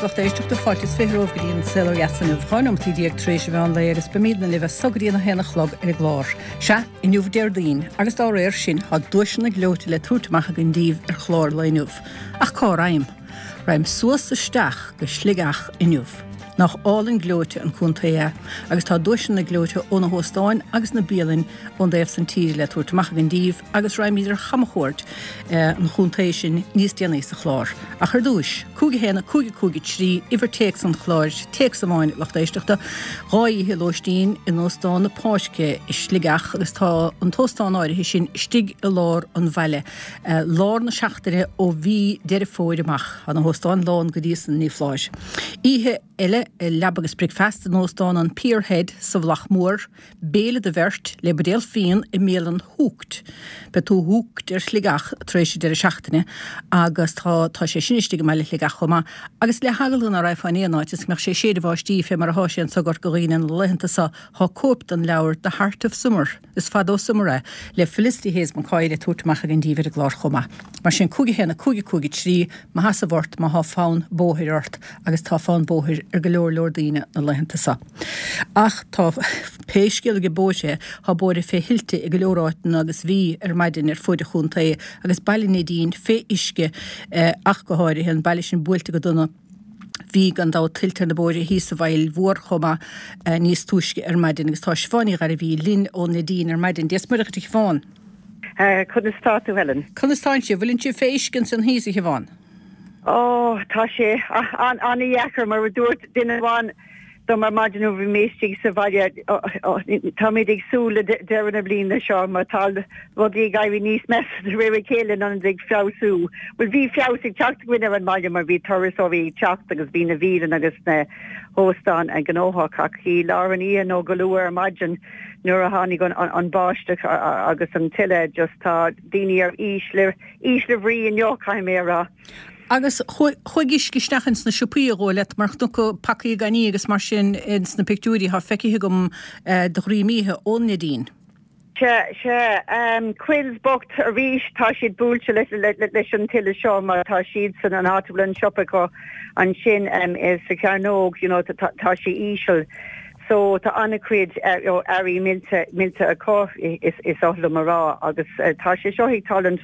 lucht éisteachta, fáilte is 20 romhaibh go dtí an Saol Ó Dheas inniu, 12 nóimeataí tar éis an mheán lae agus beimídne libh as so go dtí an 1 a chlog ar an gclár. Sea, inniu Déardaoin agus dá réir sin tá duaiseanna gleoite le tabhairt amach againn díbh ar chlár an lae inniu. Ach cá ragham? Ragham suas isteach go Sligeach inniu. Nach álainn gleoite an contae é agus tá duaiseanna gleoite ó na hóstáin agus na bialainn ón dtaobh san tíre le tabhairt amach againn díbh agus raghaimid ar chamchuairt an chontae sin níos déanaí sa chlár. Ach ar dtúis, 5 1 5 5 3, uimhir téacs an chláir, téacs amháin, lucht éisteachta, 2 oíche lóistín in Óstán na Páirce i Sligeach agus tá an t-óstán áirithe sin istigh i lár an bhaile. Lár na seachtaine ó mhí Deireadh Fómhair amach, tá na hóstáin lán go dtí san, ní foláir. Oíche eile, leaba agus bricfeasta in Óstán an Pier Head sa Mhullach Mór, béile do bheirt le buidéal fíon i mbialann Hooked. Beidh tú hooked ar Shligeach tar éis an deireadh seachtaine agus tá tá sé sin istigh i mbaile Shligeach chomh maith. Agus le heagla ná raghfá in aon áit is go mbeadh sé ag séideadh báistí fé mar athá sé anso i gCorca Dhuibhne na laethanta so, thá cóip den leabhar The Heart of Summer, Is fada ó Summer é, le Felicity Hayes McCoy le tabhairt amach againn díbh ar an gclár chomh maith. Mar sin, 5 1 5 5 3, mo sheasamh ort má thá fonn bóthair ort, agus tá fonn bóthair ar go leor leor daoine na laethanta so. Ach tá, pé scéal ag bóithre é, thá bóithre fé thuilte i go leor áiteanna agus bhí ar maidin ar fuaid an chontae agus Baile an Neidín fé uisce ach go háirithe, an baile sin buailte go dona. Bhí, gan dabht, tuilte ar na bóithre thíos sa bhFaill Mhór chomh maith níos túisce ar maidin agus tá Siobhán Ní Ghairbhí linn ón Neidín ar maidin. Dia 's Muire dhuit a Shiobhán. Conas tá tú, Helen? Conas tánn sibh? Bhfuileann sibh fé uisce ansan thíos, a Shiobhán? Ó, tá sé an-dheacair, mar a dúirt duine amháin dom ar maidin nuair a bhí mé istigh sa bhaile, táimid ag súil le deireadh na bliana seo mar tá rudaí ag éirí níos measa de réir a chéile in ionad ag feabhsú. Bhuel, bhí feabhas ag teacht againn ar an mbaile mar bhí turasóirí ag teacht agus bhí na bialanna agus na hóstáin gnóthach ach i lár an oíche nó go luath ar maidin nuair a tháinig an báisteach agus an tuile just tá daoine ar ísle ísle bhrí inniu, caithfidh mé a rá. Agus chuaigh uisce isteach ins na siopaí a dhóigh leat mar chonac pacaí gan ní agus mar sin ins na pictiúirí atá feicthe agam de dhroim oíche ón Neidín. Sea, sea. Quills bocht arís, tá siad buailte leis an tuile seo mar tá siadsan, an áit a bhfuil an siopa acu ansin sa chearnóg, you know, tá sé íseal. So tá an-chuid earraí millte millte acu is oth liom a rá agus tá sé seo ag tarlúint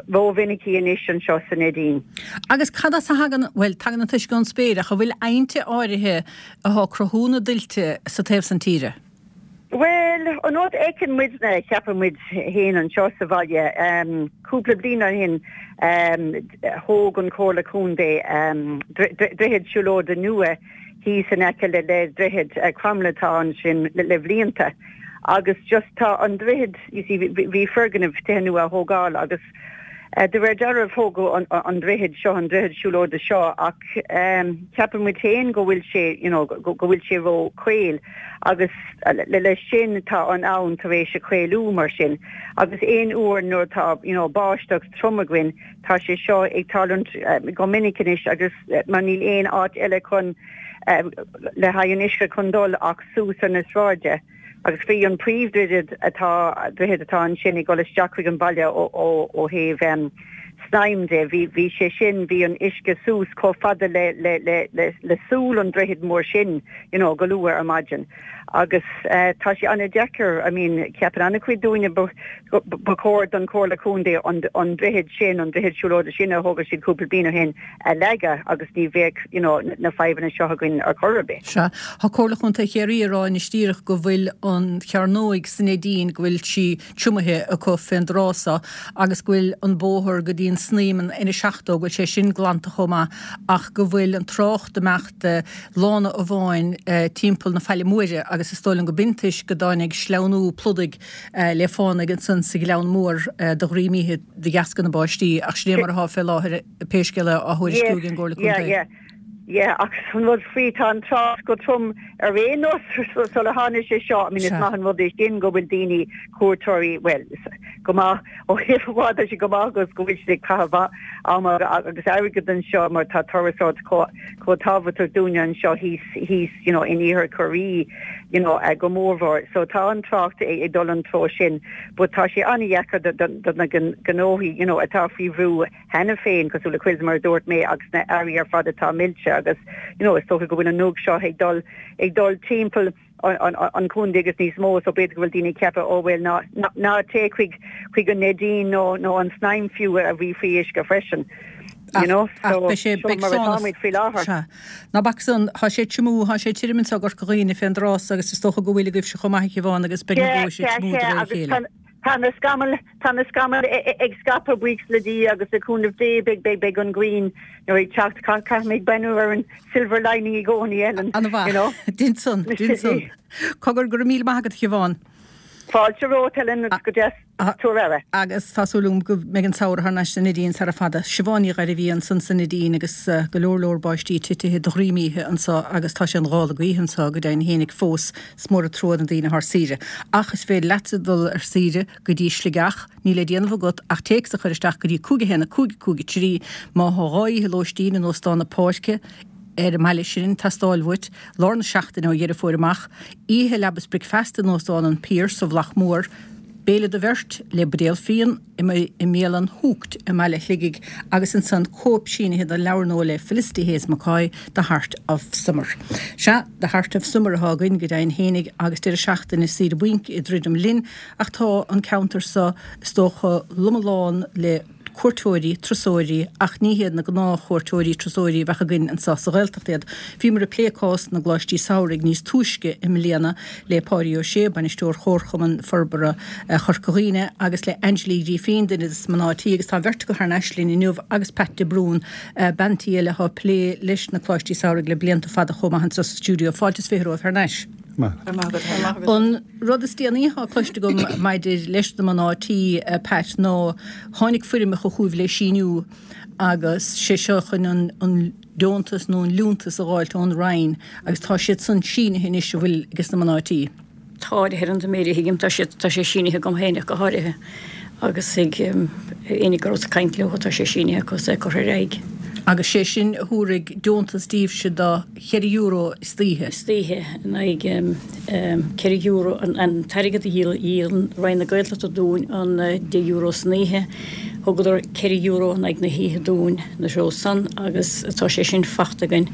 rómhinicí anois anseo sa Neidín. Agus cad as a thagann, bhuel, tagann an t-uisce ón spéir ach an bhfuil aibhnte áirithe athá ag cruthú na dtuilte sa taobh san tíre? Bhuel, an rud a fheiceann muidne, ceapann muid féin anseo sa bhaile, cúpla bliain ó shin thóg an Chomhairle Contae droichead siúlóide nua thíos in aice le droichead Cromtha atá ansin le blianta agus just tá an droichead, you see, bhí foirgneamh tithe nua á thógáil agus de réir dealraimh thógadh an droichead seo, an droichead siúlóide seo ach ceapann muid féin go bhfuil sé, you know, go bhfuil sé ró chaol agus leis sin tá an abhainn tar éis a chaolú mar sin agus aon uair nuair atá, you know, báisteach trom againn Tá sé seo ag tarlúint go minic anois agus mar níl aon áit eile chun le haghaidh an uisce chun dul ach suas ar na sráide agus bhí an príomhdhroichead atá droichead atá ansin ag dul isteach chuig an bhaile ó ó ó thaobh Snaidhm de bhí bhí sé sin bhí an uisce suas chomh fada le le le le le súil an droichid mór sin you know go luath ar maidin. Agus tá sé an-deacair, I mean, ceapann an-chuid daoine ba chóir don Chomhairle Contae an droichead sin, an droichead siúlóide sin a thóg siad cúpla bliain ó shin a leagadh agus ní bheadh, you know, na fadhbanna seo againn ar chor ar bith. Sea. Tá Comhairle Chontae Chiarraí ag rá anois díreach go bhfuil an chearnóig sa Neidín, go bhfuil sí triomaithe acu fén dtráth so agus go bhfuil an bóthar go dtí an Snaidhm, an N70, go bhfuil sé sin glanta chomh maith ach go bhfuil an trácht ag imeacht lána amháin timpeall na Faille Móire agus is dóigh liom go b'in toisc go dtáinig sleamhnú pludaigh le fánaidh ansan sa Ghleann Mór de dhroim oíche de dheasca na báistí ach sin é mar atá fé láthair pé scéal é á thuairisciú ag an gComhairle Contae. Yeah, yeah. Yeah, ach an rud faoi, tá an trácht go trom ar aon nós sula tháinig sé seo. I mean, is maith an rud é sin go bhfuil daoine, cuairteoirí, bhuel, Go maith, ó thaobh amháin tá sé go maith agus go bhfuil siad ag caitheamh ama agus airgead anseo mar tá turasóireacht chomh tábhachtach dúinne anseo thíos thíos you know in iarthar Chiarraí you know go mórmhór. So tá an trácht ag dul an treo sin but tá sé an-dheacair do na gnóthaí you know atá faoi bhrú cheana féin cosúil le Quills mar a dúirt mé agus na earraí ar fad atá millte agus you know is dócha go bhfuil an nuacht seo ag dul ag dul timpeall an chontae agus níos mó so b'fhéidir go bhfuil daoine ag ceapadh oh bhuel ná ná téigh chuig chuig an Neidín nó nó an Snaidhm fiú a bhí faoi uisce freisin. You know so seo mar atáimid faoi láthair. Sea. Ná bac san, tá sé tiomú, tá sé tirim anseo i gCorca Dhuibhne fén dtráth so agus is dócha go bhfuil agaibhse chomh maith a Shiobhán agus beidh na bóithre ag tiomú de réir a chéile. Tá na scamaill, tá na scamaill ag scaipeadh buíochas le Dia agus le cúnamh Dé beidh, beidh, beidh an ghrian you know ag teacht. Caithfidh mé ag breathnú ar an silver lining i gcónaí Ellen, Ana you know. mhaith. Dein san, dein san. Cogar, go raibh míle maith agat a Shiobhán. Fáilte romhat Ellen agus go deas tú a rá. Agus tá súil agam go mbeidh an samhradh thar n-ais sa Neidín sara fada. Siobhán Ní Ghairbhí ansan sa Neidín agus go leor leor báistí titithe de dhroim oíche anso agus tá sé an ghála gaoithe anso go deimhin fhéinig fós. Is mór an trua na daoine atá ar saoire. Ach is féidir leatsa dul ar saoire go dtí Sligeach, níl le déanamh agat ach téacs a chur isteach go dtí 5 1 5 5 3 má thá 2 oíche lóistín in Óstán na Páirce ar an mbaile sin ag teastáil uait, lár na seachtaine ó Dheireadh Fómhair amach, oíche leaba is bricfeasta in Óstán an Pearse sa Mhullach Mór, béile do bheirt le buidéal fíon. i mbialann Hooked i mbaile Shligigh agus ansan cóip sínithe den leabhar nua le Felicity Hayes McCoy, The Heart of Summer. Sea, The Heart of Summer atá againn go deimhin fhéinig agus deireadh seachtaine saoire bainc ag druidim linn ach tá an ceantar so is dócha lom lán le cuairteoirí, turasóirí ach ní hiad na gnáth-chuairteoirí, turasóirí a bheadh againn anso sa Ghaeltacht iad. Bhíomar ag plé cás na gcoláistí samhraidh níos túisce i mbliana le Páidí Ó Sé, Bainisteoir Chomharchumann Forbartha Chorca Dhuibhne agus le Angela Uí Ghrífín, duine des na mná tí agus tá an bheirt acu thar n-ais linn inniu agus Pat de Brún, bean tí eile atá ag plé leis na Coláistí Samhraidh le blianta fada chomh maith anseo sa stiúideo. Fáilte is 20 romhaibh thar n-ais. An rud is déanaí atá cloiste agam maidir leis na mná tí, Pat, ná tháinig foirmeacha chugaibh le síniú agus sé seo chun an deontas nó an liúntas a dh'fháilt ón Roinn agus tá siad san sínithe anois an bhfuil ages na mná tí. Tá, Helen, de réir a thuigim, tá siad, tá sé sínithe agam féin ach go háirithe agus ag éinne go rabhas ag caint leo, tá sé sínithe acu is é curtha ar aghaidh. Agus sé sin a thabharfaidh deontas daoibhse do €4 istoíche. Istoíche in aghaidh €4, an t-airgead a dhíol Roinn na Gaeltachta dúinn an €10 san oíche, thugadar €4 in aghaidh na hoíche dúinn na treo san agus tá sé sin fachta againn.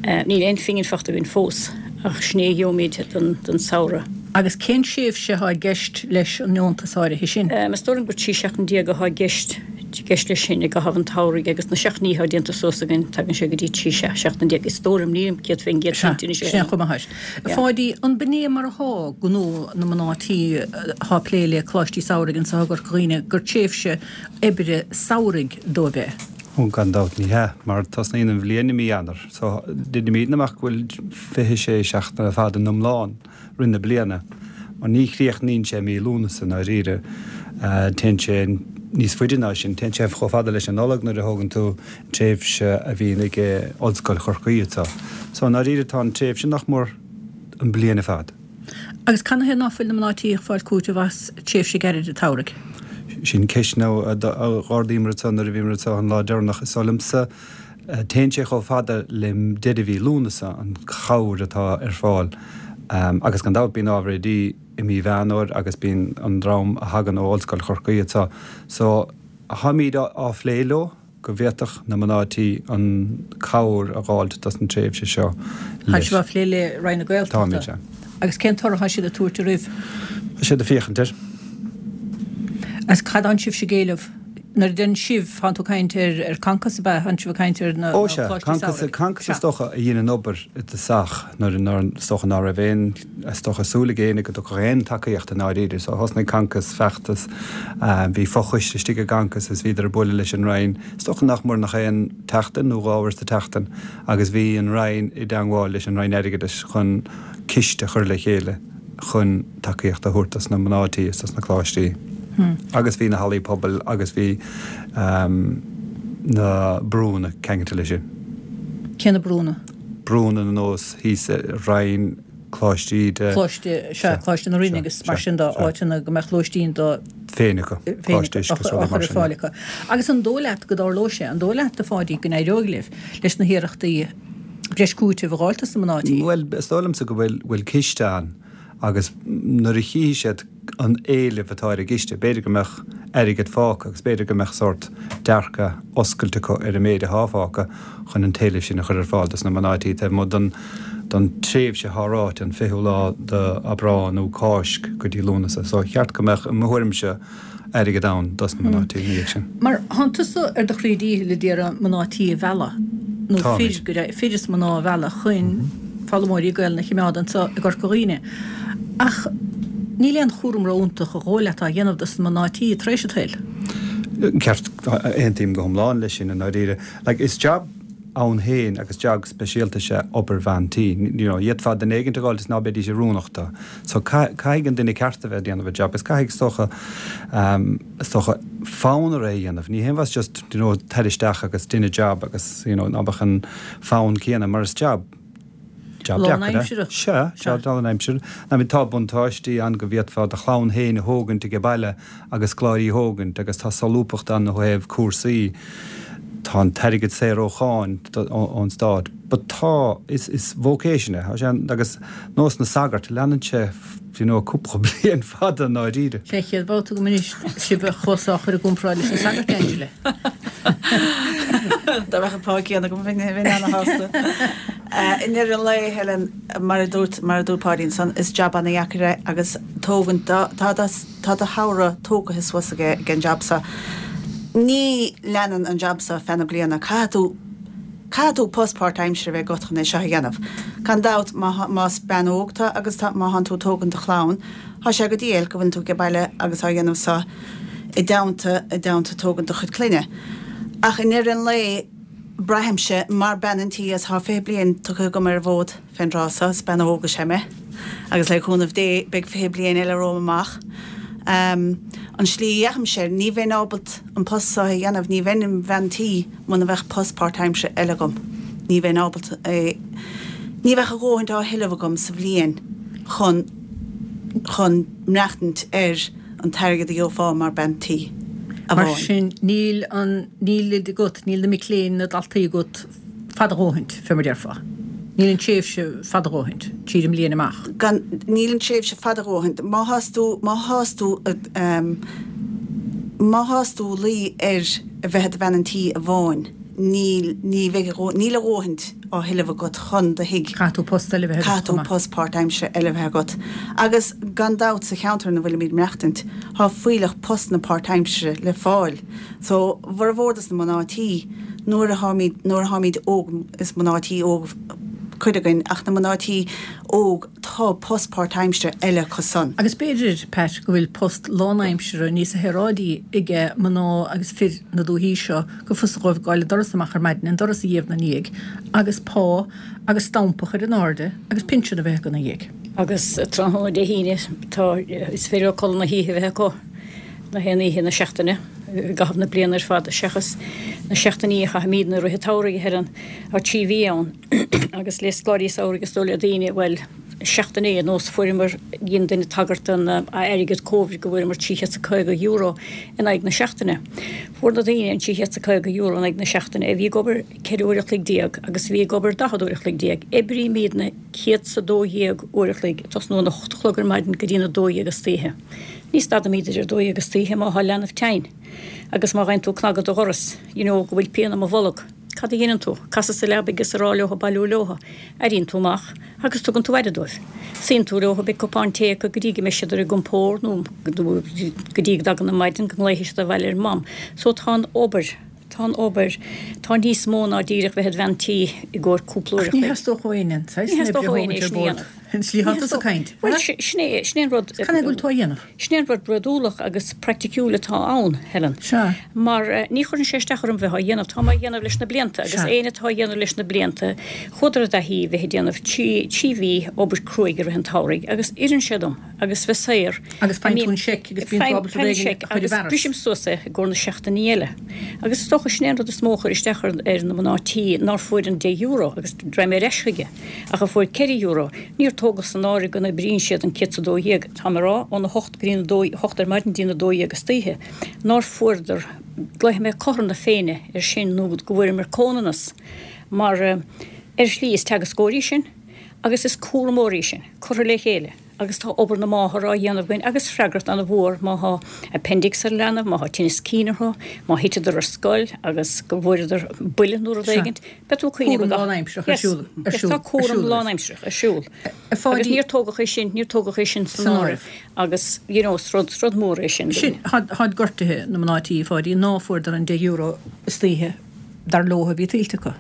Níl aon phingin fachta againn fós ach sin é a gheobhaimid don samhradh. Agus cén tréimhse atá i gceist leis an ndeontas áirithe sin? Is dóigh liom gur 13 seachtain atá i gceist i gceist leis sin i gcaitheamh an tsamhraidh agus na seachtainí atá déanta suas againn tagann sé go dtí 13 seachtain. Is dóigh liom, nílim 100% cinnte anois. Sin é chomh maith. A Pháidí, an b'in é mar athá gnó na mná tí athá ag plé le coláistí samhraidh anso i gCorca Dhuibhne gur tréimhse oibre samhraidh dóibh é? Ó, gan dabht ní hea, mar tosnaíonn an bhliain i mí Eanáir so deinimídne amach go bhfuil 26 seachtain ar fad in iomlán rith na bliana, mar ní chríochnaíonn sé i mí Lúnasa i ndáiríre, téann sé níos faide ná sin, téann sé chomh fada leis an Nollaig nuair a thógann tú an tréimhse a bhíonn ag Ollscoil Chorcaí anseo. So i ndáiríre tá an tréimhse nach mór an bliain ar fad. Agus canathaobh ná fuil na mná tí ag fáil cúiteamh as tréimhse gairid an tsamhraidh? Sin ceist a d'ardaíomar anseo nuair a bhíomar anseo an lá deireanach. Is dóigh liomsa Téann sé chomh fada le deireadh mhí Lúnasa, an chabhair atá ar fáil. Agus gan dabht bíonn ábhar oidí i mí Mheán Fhómhair agus bíonn an dream a thagann ó Ollscoil Chorcaí anseo. So, táimíd á phlé leo go bhféadfadh na mná tí an cabhair a dh'fháilt dos an tréimhse seo Tá sibh á phlé le Roinn na Gaeltachta? Táimid, sea. Agus cén toradh atá siad ag tabhairt oraibh? Tá siad ag féachaint air. Agus cad atánn sibhse ag éileamh? Nuair a deireann sibh, thánn tú ag caint ar Concos, ab ea? Thánn sibh ag caint ar na Ó sea, coláistí Concos, samhraidh. Concos is dócha a dhein an obair i dtosach nuair nár, is dócha ná raibh aon, is dócha súil ag éinne go dtiocfadh aon tacaíocht i ndáiríre. So thosnaigh Concos feachtas, bhí fochoiste istigh i gConcos is bhíodar ag bualadh leis an Roinn, is dócha nach mór nach aon tseachtain nó dhá uair sa tseachtain agus bhí an Roinn i dteangmháil leis an Roinn Airgeadais chun ciste a chur le chéile. chun tacaíocht a thabhairt dos na mná tí is dos na coláistí. Agus bhí na hallaí pobail agus bhí na brúnna ceangailte leis sin. Cé na brúnna? Brúnna ar nós thíos i Rinn, Coláiste Íde. Coláiste, sea, Coláiste na Rinne agus mar sin de, áiteanna go mbeadh lóistín do. Féin acu, coláiste uisce is rudaí mar sin. Ar fáil acu. Agus an dóigh leat go dtarlóidh sé, an dóigh leat, a Pháidí, go n-éireoidh libh leis na hiarrachtaí breis cúitimh a dh'fháilt dos na mná tí? Bhuel, is dóigh liomsa go bhfuil, bhfuil ciste ann agus nuair a chífidh siad an éileamh atá ar an gciste, b'fhéidir go mbeadh airgead fágtha agus b'fhéidir go mbeadh sórt dearcadh oscailte acu ar an méid athá fágtha chun an t-éileamh sin a chur ar fáil dos na mná tí taobh amuigh den don tréimhse athá ráite, an 20ú lá d'Aibreán nó Cáisc go dtí Lúnasa. So cheart go mbeadh, i mo thuairimse, airgead ann dos na mná tí ina dhiaidh sin. Mar thánn tusa ar do chroí díchill ag iarraidh mná tí a mhealladh, nó fir, go deimhin, fir is mná a mhealladh chun foghlaimeoirí Gaelainne a chimeád anso i gCorca Dhuibhne. Ach níl aon chúram ró-iontach a dhóigh leat á dhéanamh dos na mná tí tar éis an tsaoil. Ceart, aontaím go hiomlán leis sin i ndáiríre. Like, is jab ann féin agus jab speisialta is ea obair bhean tí. You know, d'fhéadfá duine éigint a dh'fháilt is ná beidís oiriúnach dó. So caithfidh an duine ceart a bheith ag déanamh an jab agus caithfidh is dócha, is dócha fonn air é a dhéanamh. Ní haon mhaith just, you know, tar isteach agus dein an jab agus, you know, ná beadh an fonn céanna mar is jab, jab deacair é. Sea, jab lánaimseartha. I mean tá buntáistí ann go bhféadfá do chlann féin a thógaint age baile agus scoláirí a thógaint agus tá solúbthacht ann ó thaobh cúrsaí, tá an t-airgead saor ó cháin ón stát but tá, is, is vocation é, tá sé an, agus nós na sagart, leanann sé you know cúpla bliain fada i ndáiríre. Sé an chéad bhabhta agam anois sibh a chlos á chur i gcomparáid leis na sagairt, Angela. Dá mbeadh an pá céanna agam bheinn ana-shásta. I ndeireadh an lae, Helen, mar a dúirt, mar a dúirt Páidí ansan, is jab ana-dheacair é agus tógann, tá, tá Tá do shamhradh tógaithe suas ag an jab so. Ní leanann an jab so feadh na bliana. Caithfidh tú, caithfidh tú post páirtaimsire a bheith agat chun é seo a dhéanamh. Gan dabht, má, más bean óg tú agus tá, má thánn tú ag tógaint do chlann, thá sé go diail go bhfuileann tú age baile agus á dhéanamh so i dteannta, i dteannta tógaint do chuid clainne. Ach i ndeireadh an lae, braithimse, mar bean an tí, agus thá 20 bliain tugtha agam ar an bhfód, Fén dtráth so, is bean óg is ea mé, agus le cúnamh Dé, beidh 20 bliain eile romham amach. An slí a dheachaimse air, ní bheinn ábalt an post so a dhéanamh, ní bheinn im bhean tí muna mbeadh post páirtaimsire eile agam. Ní bheinn ábalt é, ní bheadh a dhóthaint á thuilleamh agam sa bhliain chun, chun maireachtaint ar an t-airgead a gheofá mar bean tí Mar amháin. sin, níl an, níl oide agat, níl na mic léinn, na daltaí agat, fada a dhóthaint, fé mar déarfá. Níl an tréimhse fada a dhóthaint, tríd an mbliain amach. Gan, níl an tréimhse fada a dhóthaint. Má thás tú, má thás tú, má thás tú luí ar a bheith i do bhean an tí amháin, níl, ní bheidh a dhó, níl a dhóthaint á thuilleamh agat chun do thigh. Caithfidh tú post eile a bheith agat Caithfidh tú post páirtaimsire eile a bheith agat. Agus gan dabht sa cheantar ina bhfuilimid maireachtaint, thá fuílleach postanna páirtaimsire le fáil. So, bhformhór dos na mná tí, nuair a tháimid, nuair a tháimid óg, is mná tí óg cuid againn, ach na mná tí óg, tá post páirtaimsire eile acu san. Agus b'fhéidir, Pat, go bhfuil post lánaimseartha níos saoráidí aige mná agus fir na dúichí seo, gur fusa dhóibh gabháil an doras amach ar maidin, an doras a ghéabh 'na ndiaidh, agus pá agus stampa a chur in airde agus pinsean a bheith acu 'na dhiaidh. Agus tráthnóna Dé hAoine, tá, is féidir leo codladh na hoíche a bheith acu. Na haon oíche na seachtaine i gcaitheamh na bliana ar fad, seachas na seachtainí a chaithimidne i rith an tsamhraidh, a Helen, tá 3 mhí ann agus le scoláirí samhraidh is dóigh le daoine, bhuel, seachtain é, nós fuaireamar, dhein duine tagairt don airgead Covid go bhfuaireamar €350 in aghaidh na seachtaine. Fuair na daoine an €350 in aghaidh na seachtaine a bhí ag obair 14 uair a chloig agus a bhí ag obair 40 uair a chloig. Oibrímidne 112 uair a chloig, ag tosnú óna hocht a chlog ar maidin go dtí'n 12 istoíche. Ní stadaimid idir 12 istoíche má thá leanbh tinn agus má gheibheann tú cnagadh do dhoras, you know, go bhfuil pian i mo bholg. Cad a dheineann tú? Casadh sa leabaidh is a rá leotha bailiú leotha. Éiríonn tú amach agus tugann tú aire dóibh. Suíonn tú leotha, beidh cupán tae acu go dtí go mbeidh siad ar a gcompord nó go dtí go dtagann an maidin go nglaofaidh siad abhaile ar Mam. So tá an obair, tá an obair, tá níos mó ná díreach bheith id bhean tí i gcomhair cúpla uair a chloig. Ach ní theastódh ó éinne an saghas sin oibre a thógaint ar bord. An tslí atá tusa ag caint. Bhuel, sin é, sin é an rud. Cad é go bhfuil tú á dhéanamh? Sin é an rud bródúlach agus praiticiúil atá ann, Helen. Sea. Mar ní chuireann sé isteach orm bheith á dhéanamh. Táim á dhéanamh leis na blianta agus éinne atá á dhéanamh leis na blianta, chuadar i dtaithí bheith ag déanamh 3 mhí obair cruaidh i rith an tsamhraidh agus oireann sé dom agus bheith saor. Agus faigheann tú an seic agus bíonn tú ábalta rud éigin a chur i bhfearas. Brisim suas é i gcomhair na seachtainí eile. Agus is dócha sin é an rud is mó a chuir isteach ar na mná tí nár fuair an €10 agus raghaidh mé ar ais chuige. Ach a fuair €4, níor. tógadh san áireamh go n-oibríonn siad an 112, táim ag rá, óna hocht go dtí a dó, hocht ar maidin go dtí a 12 istoíche, nár fuaireadar, glaofaidh mé cothrom na Féinne air sin nó go bhfuaireamar comhionannas mar ar shlí is teagascóirí sinn agus is cúramóirí sinn, curtha le chéile. Agus tá obair na máthar á dhéanamh againn agus freagracht an-mhór má thá appendix ar leanbh, má thá tinneas cinn orthu, má thiteadar ar scoil agus go bhfuaireadar buille nó rud éigint, beidh tú ag cuimhneamh Cúram lánaimsearach ar siúl, ar siúl, Tá cúram lánaimsearach ar siúl. Agus níor tógadh é sin, níor tógadh é sin san áireamh agus you know is rud, rud mór é sin. Sin, tháid gortaithe na mná tí, a Pháidí, ná fuaireadar an €10 istoíche dar leo a bhí tuillte acu.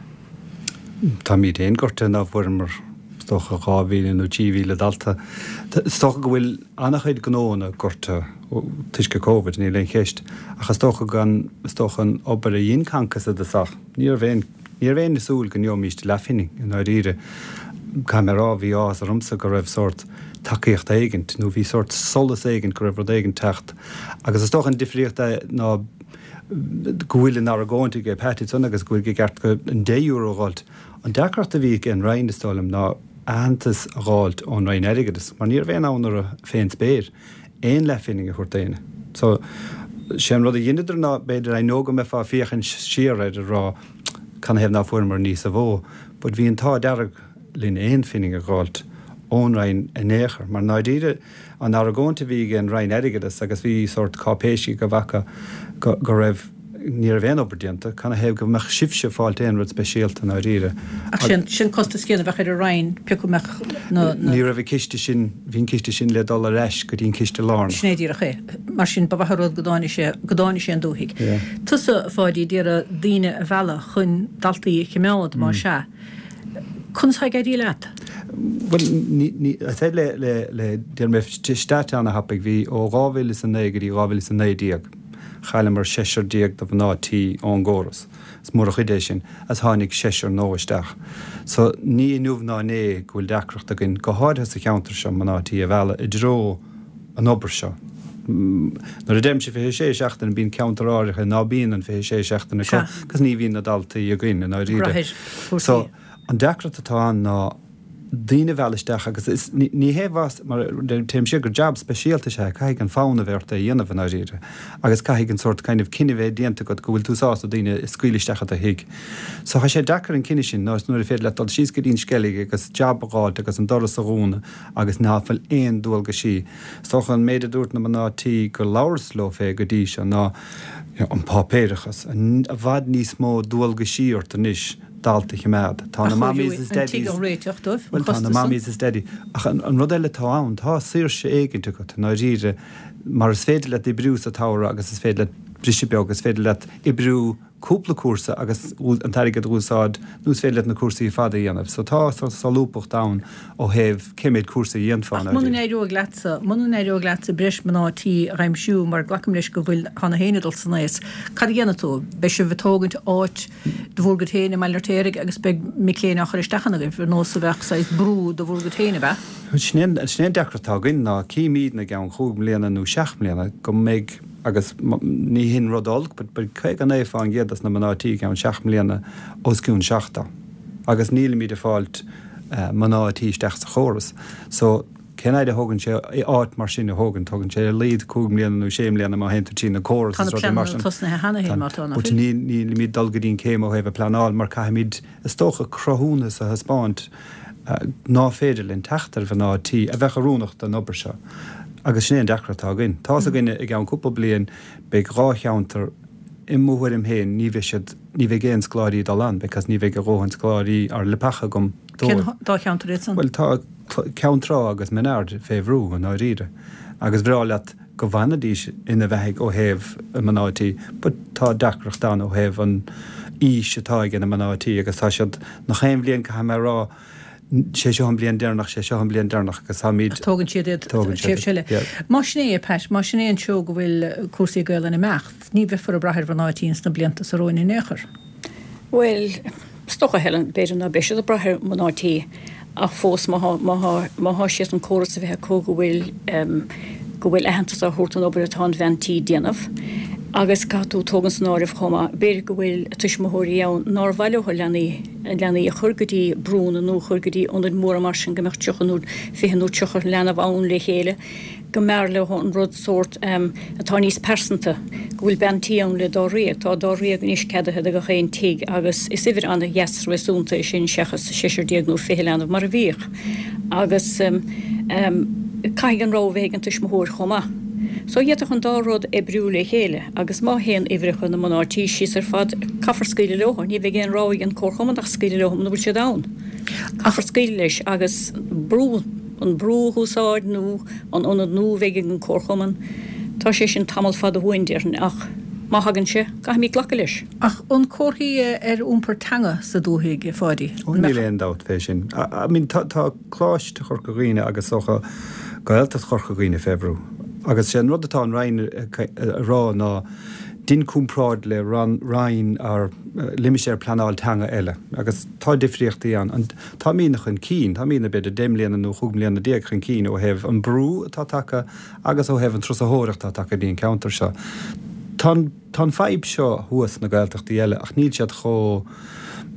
Táimid féin gortaithe ná fuaireamar, is dócha, 2,000 nó 3,000 dalta. Is dócha go bhfuil an-chuid gnóanna gortaithe toisc an Covid, níl aon cheist. Ach is dócha gan, is dócha an obair a dhein Concos i dtosach, ní raibh aon, ní raibh éinne ag súil go ngeobhaimíst leathphingin i ndáiríre. Caithfidh mé a rá, bhí áthas ormsa go raibh sórt tacaíocht éigint, nó bhí sórt solas éigint go raibh rud éigint teacht. Agus is dócha an difríocht ná go bhfuil an argóint ag Pat ansan agus go bhfuil i gceart go an €10 a dh'fháilt. An deacracht a bhí ag an Roinn, is dóigh liom, ná aitheantas a dh'fháilt ón Roinn Airgeadais, mar ní raibh aon fhonn orthu fén spéir aon leathphingin a thabhairt d'éinne. So, sé an rud a dheineadar ná, b'fhéidir, I know go mbeifeá ag féachaint siar air ag rá canathaobh ná fuaireamar níosa mhó, but bhí an t-ádh dearg linn aon phingin a dh'fháilt ón Roinn in aon chor, mar ndáiríre, An argóint a bhí ag an Roinn Airgeadais agus bhí sórt cáipéisí go bhfaca go go raibh, ní raibh aon obair déanta, canathaobh go mbeadh sibhse ag fáilt aon rud speisialta i ndáiríre. Ach sin, sin costas céanna a bheadh ar an Roinn pé acu a mbeadh na, na. Ní raibh an ciste sin, bhí an ciste sin le dul ar ais go dtí an ciste lárnach. Sin é díreach é. Mar sin, ba mhaith an rud go dtáinig sé, go dtáinig sé an dúthaigh. Yeah. Tusa, a Pháidí, d'iarraidh daoine a mhealladh chun daltaí a chimeád, más ea. Conas tá ag éirí leat? Bhuel, ní, ní, I said le, le, le, déarfaidh mé stat ana-thapaidh, bhí ó 2009 go dtí 2019, chailleamar seisear déag de mhná tí ón gcóras. Is mór an chuid é sin, agus tháinig seisear nua isteach. So, ní inniu ná inné go bhfuil deacracht againn, go háirithe sa cheantar seo, mná tí a mhealladh i dtreo an obair seo. Nuair a deirimse 26 seachtaine, bíonn ceantar áirithe ná bíonn an 26 seachtaine acu agus ní bhíonn na daltaí againn i ndáiríre. So, an deacracht atá ann ná daoine a mhealladh isteach agus is, ní hé bhas, mar téim siar gur jab speisialta is ea é, caithfidh an fonn a bheith ort é a dhéanamh i ndáiríre agus caithfidh an sórt kind of cinneadh bheith déanta agat go bhfuil tú sásta daoine a scaoileadh isteach i do thigh. So, tá sé deacair an cinneadh sin ná nuair a féidir leat dul síos go dtí an Sceilg agus jab a dh'fháilt agus an doras a dhúnadh agus ná fuil aon dualgaisí. Is dócha an méid a dúirt na mná tí gur labhras leo fé go dtí seo ná an páipéarachas, i bhfad níos mó dualgaisí ort anois dalta a chimeád. Tá na mammies is daddies, bhuel tá na mammies is daddies, ach an rud eile atá ann, tá saoirse éigint agat i ndáiríre mar is féidir leat oibriú sa tsamhradh agus is féidir leat briseadh beag, is féidir leat oibriú cúpla cúrsa agus an t-airgead a úsáid nó is féidir leat na cúrsaí ar fad a dhéanamh. So tá solúbthacht ann ó thaobh cé méid cúrsa a dhéanfá Ach muna n-éireoidh leatsa, muna n-éireoidh leatsa breis mná tí a aimsiú, mar glacaim leis go bhfuil, tá na héinne ag dul san aos, cad a dhéanfaidh tú? Beidh sibh ag tógaint áit do bhur gcuid féin i mBaile an Fheirtéaraigh agus beidh mic léinn á chur isteach ann agaibh, ar nós a bheadh saghas brú do bhur gcuid féin, ab ea? Sin é an deacracht atá againn ná címídne i gceann chúig mbliana nó seacht mbliana go mbeidh, agus ní hin rud olc, but beidh 59% des na mná tí i gceann seacht mbliana os cionn 70 agus nílimid ag fáilt mná tí isteach sa chóras. So, cén fhaid a thógann sé áit mar sin a thógaint? Tógann sé ar a laghad cúig mbliana nó sé mbliana má théann tú trí na córas Tá na is rudaí mar pleananna sin. tosnaithe cheana féin má tá, nach But bhfuil? ní, nílimid dul go dtí an céim ó thaobh a pleanáil mar caithfimid, is dócha, cruthúnas a thaispeáint ná féidir linn teacht ar mhná tí a bheadh oiriúnach don obair seo. Agus sin é an deacracht atá againn. Tá's againne i gceann cúpla bliain beidh dhá cheantar, i mo thuairim féin, ní bheidh siad, ní bheidh aon scoláirí ag dul ann because ní bheidh a dhóthain scoláirí or leapacha agam Cén dóibh. dá cheantar iad san? Bhuel tá Ceann Trá agus Mín Aird fé bhrú i ndáiríre. Agus bhreá leat go bhfanfaidís ina bheathaidh ó thaobh mná tí but tá deacracht ann ó thaobh an aois atá ag na mná tí agus tá siad nach aon bhliain caithfidh mé a rá sé seo an bliain deireanach sé seo an bliain deireanach agus táimid Tógann siad iad Tógann siad tréimhse eile. yeah. Más sin é, Pat, más sin é an treo go bhfuil cúrsaí Gaelainne ag imeacht, ní bheifear ag brath ar mhná tí ins na blianta so romhainn in aon chor. Bhuel, Is dócha, Helen, b'fhéidir ná beidh siad ag brath ar mná tí ach fós má thá, má thá, má thá siad an córas a bheith acu go bhfuil, go bhfuil aitheantas á thabhairt don obair atá an bhean tí ag déanamh. Agus caithfidh tú tógaint san áireamh chomh maith, b'fhéidir go bhfuil tuismitheoirí ann nár mhaith leo leanaí, a leanaí a chur go dtí brúnna nó a chur go dtí ionaid mhóra mar sin go mbeadh 30 nó 20 nó 30 leanbh ann le chéile, go mb'fhearr leo an rud sórt atá níos pearsanta, go bhfuil bean tí ann le dáréag. Tá dáréag anois ceadaithe do gach aon tigh agus is uimhir an-dheas réasúnta é sin seachas seisear déag nó 20 leanbh mar a bhíodh. Agus caithfidh an rogha bheith ag an tuismitheoir chomh maith. So d'fhéadfadh an dá rud oibriú le chéile agus má théann uimhreacha na mná tí síos ar fad, caithfear scaoileadh leo. Ní bheidh aon rogha ag an comharchumann ach scaoileadh leo muna bhfuil siad ann. Caithfear scaoileadh leis agus brú, an brú a úsáid nó an ionad nua a bheidh ag an comharchumann. Tá sé sin tamall fada uainn déarfainn ach má thagann sé, caithfimid glacadh leis. Ach an comharthaí ar iompar teanga sa dúthaigh, a Pháidí? Ó níl aon dabht fé sin. I mean tá tá Coláiste Chorca Dhuibhne agus is dócha Gaeltacht Chorca Dhuibhne fé bhrú. Agus sé an rud atá an Roinn a rá ná dein comparáid le roinn or limistéir pleanáil teanga eile. Agus tá difríochtaí ann. An táimídne chun cinn, táimídne b'fhéidir 10 mbliana nó 15 mbliana chun cinn ó thaobh an brú atá tagtha agus ó thaobh an turasóireacht atá tagtha go dtí an ceantar seo. Tá an. Tá an fadhb seo thuas sna Gaeltachtaí eile ach níl siad chomh,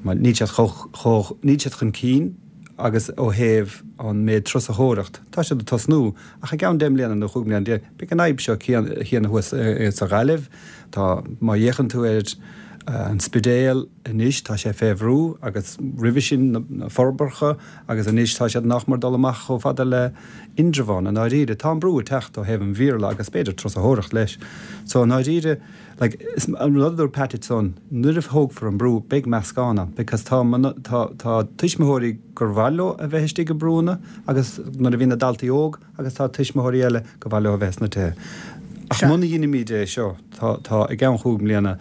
níl siad chomh, chomh, níl siad chun cinn agus ó thaobh an méid turasóireacht, tá siad ag tosnú ach i gceann 10 mbliana nó 15 mbliana beidh an fhadhb seo chéanna thuas sa Ghaillimh. Tá, má fhéachann tú ar an Spidéal anois tá sé fé bhrú agus roimhe sin na Forbacha agus anois tá siad nach mór dul amach chomh fada le Indreabhán, i ndáiríre. Tá an brú ag teacht ó thaobh an Bhéarla agus b'fhéidir turasóireacht leis. So i ndáiríre, like, is an rud a dúirt Pat ansan, nuair a thógfar an brú, beidh meascán ann because tá, tá, tá tuismitheoirí gur mhaith leo a bheith istigh i brúnna agus nuair a bhíonn na daltaí óg agus tá tuismitheoirí eile gur mhaith leo a bheith sna tithe. Ach muna dheinimíd é seo, tá, tá, i gceann chúig mbliana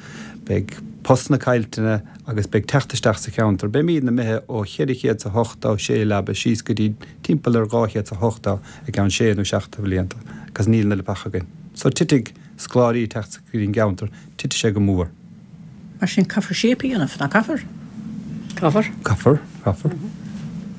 beidh postanna caillteanna agus beidh teacht isteach sa cheantar, beimídne imithe ó 486 leaba síos go dtí timpeall ar 280 i gceann sé nó seacht de bhlianta agus níl an oiread againn. So titfidh scoláirí ag teacht go dtí an gceantar, titfidh sé go mór. Mar sin caithfear shape a dhéanamh, nach gcaithfear? Caithfear. Caithfear, caithfear.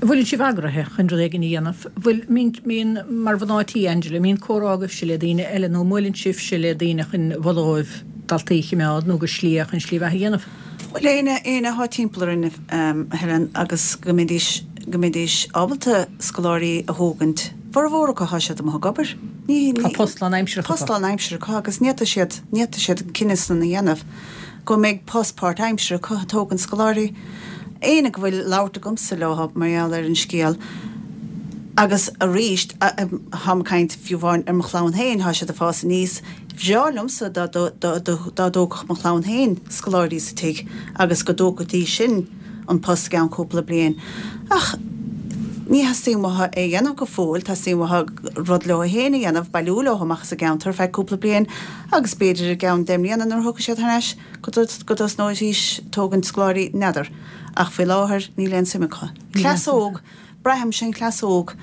An bhfuileann sibh eagraithe chun rud éigin a dhéanamh? Bhfuil, mbíonn, mar mhná tí, Angela, mbíonn comhrá agaibhse le daoine eile nó an mbuaileann sibhse le daoine chun mholadh dóibh daltaí a chimeád nó gur slí é chun slí bheatha a dhéanamh? Bhuel, éinne, éinne athá timpeall orainn, a Helen, agus go mbeidís, go mbeidís ábalta scoláirí a thógaint, formhór acu, thá siad amuigh ag obair. Ní, ní, Tá post lánaimseartha acu. Post lánaimseartha acu agus ní fhéadfaidh siad, ní fhéadfaidh siad an cinneadh san a dhéanamh go mbeidh post páirtaimseartha acu ag tógaint scoláirí. Éinne go bhfuil labhairt agamsa leo mar gheall ar an scéal agus arís, tháim ag caint fiú amháin ar mo chlann féin, thá siad ag fás aníos, Bhreá liomsa dá dtógfadh mo chlann féin scoláirí sa tigh agus go dtógfaidís sin an post i gceann cúpla bliain. Ach ní theastaíonn uathu é a dhéanamh go fóill, teastaíonn uathu rud leo féin a dhéanamh, bailiú leo amach as an gceantar ar feadh cúpla bliain agus b'fhéidir i gceann deich mbliana nuair a thiocfaidh siad thar n-ais go dtosnóidís tógaint scoláirí, n'fheadar. Ach faoi láthair níl aon suim acu. Cleas óg, braithimse an cleas óg,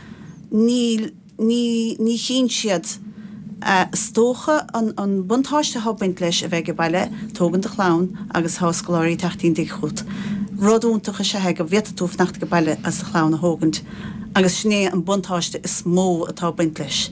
níl. Ní, ní chíonn siad. Is dócha an, an buntáiste athá ag baint leis a bheith age baile, tógaint do chlann agus thá scoláirí ag teacht tigh chugat. Rud iontach is ea é go bhféadfaidh tú fanacht age baile agus do chlann a thógaint agus sin é an buntáiste is mó atá ag baint leis,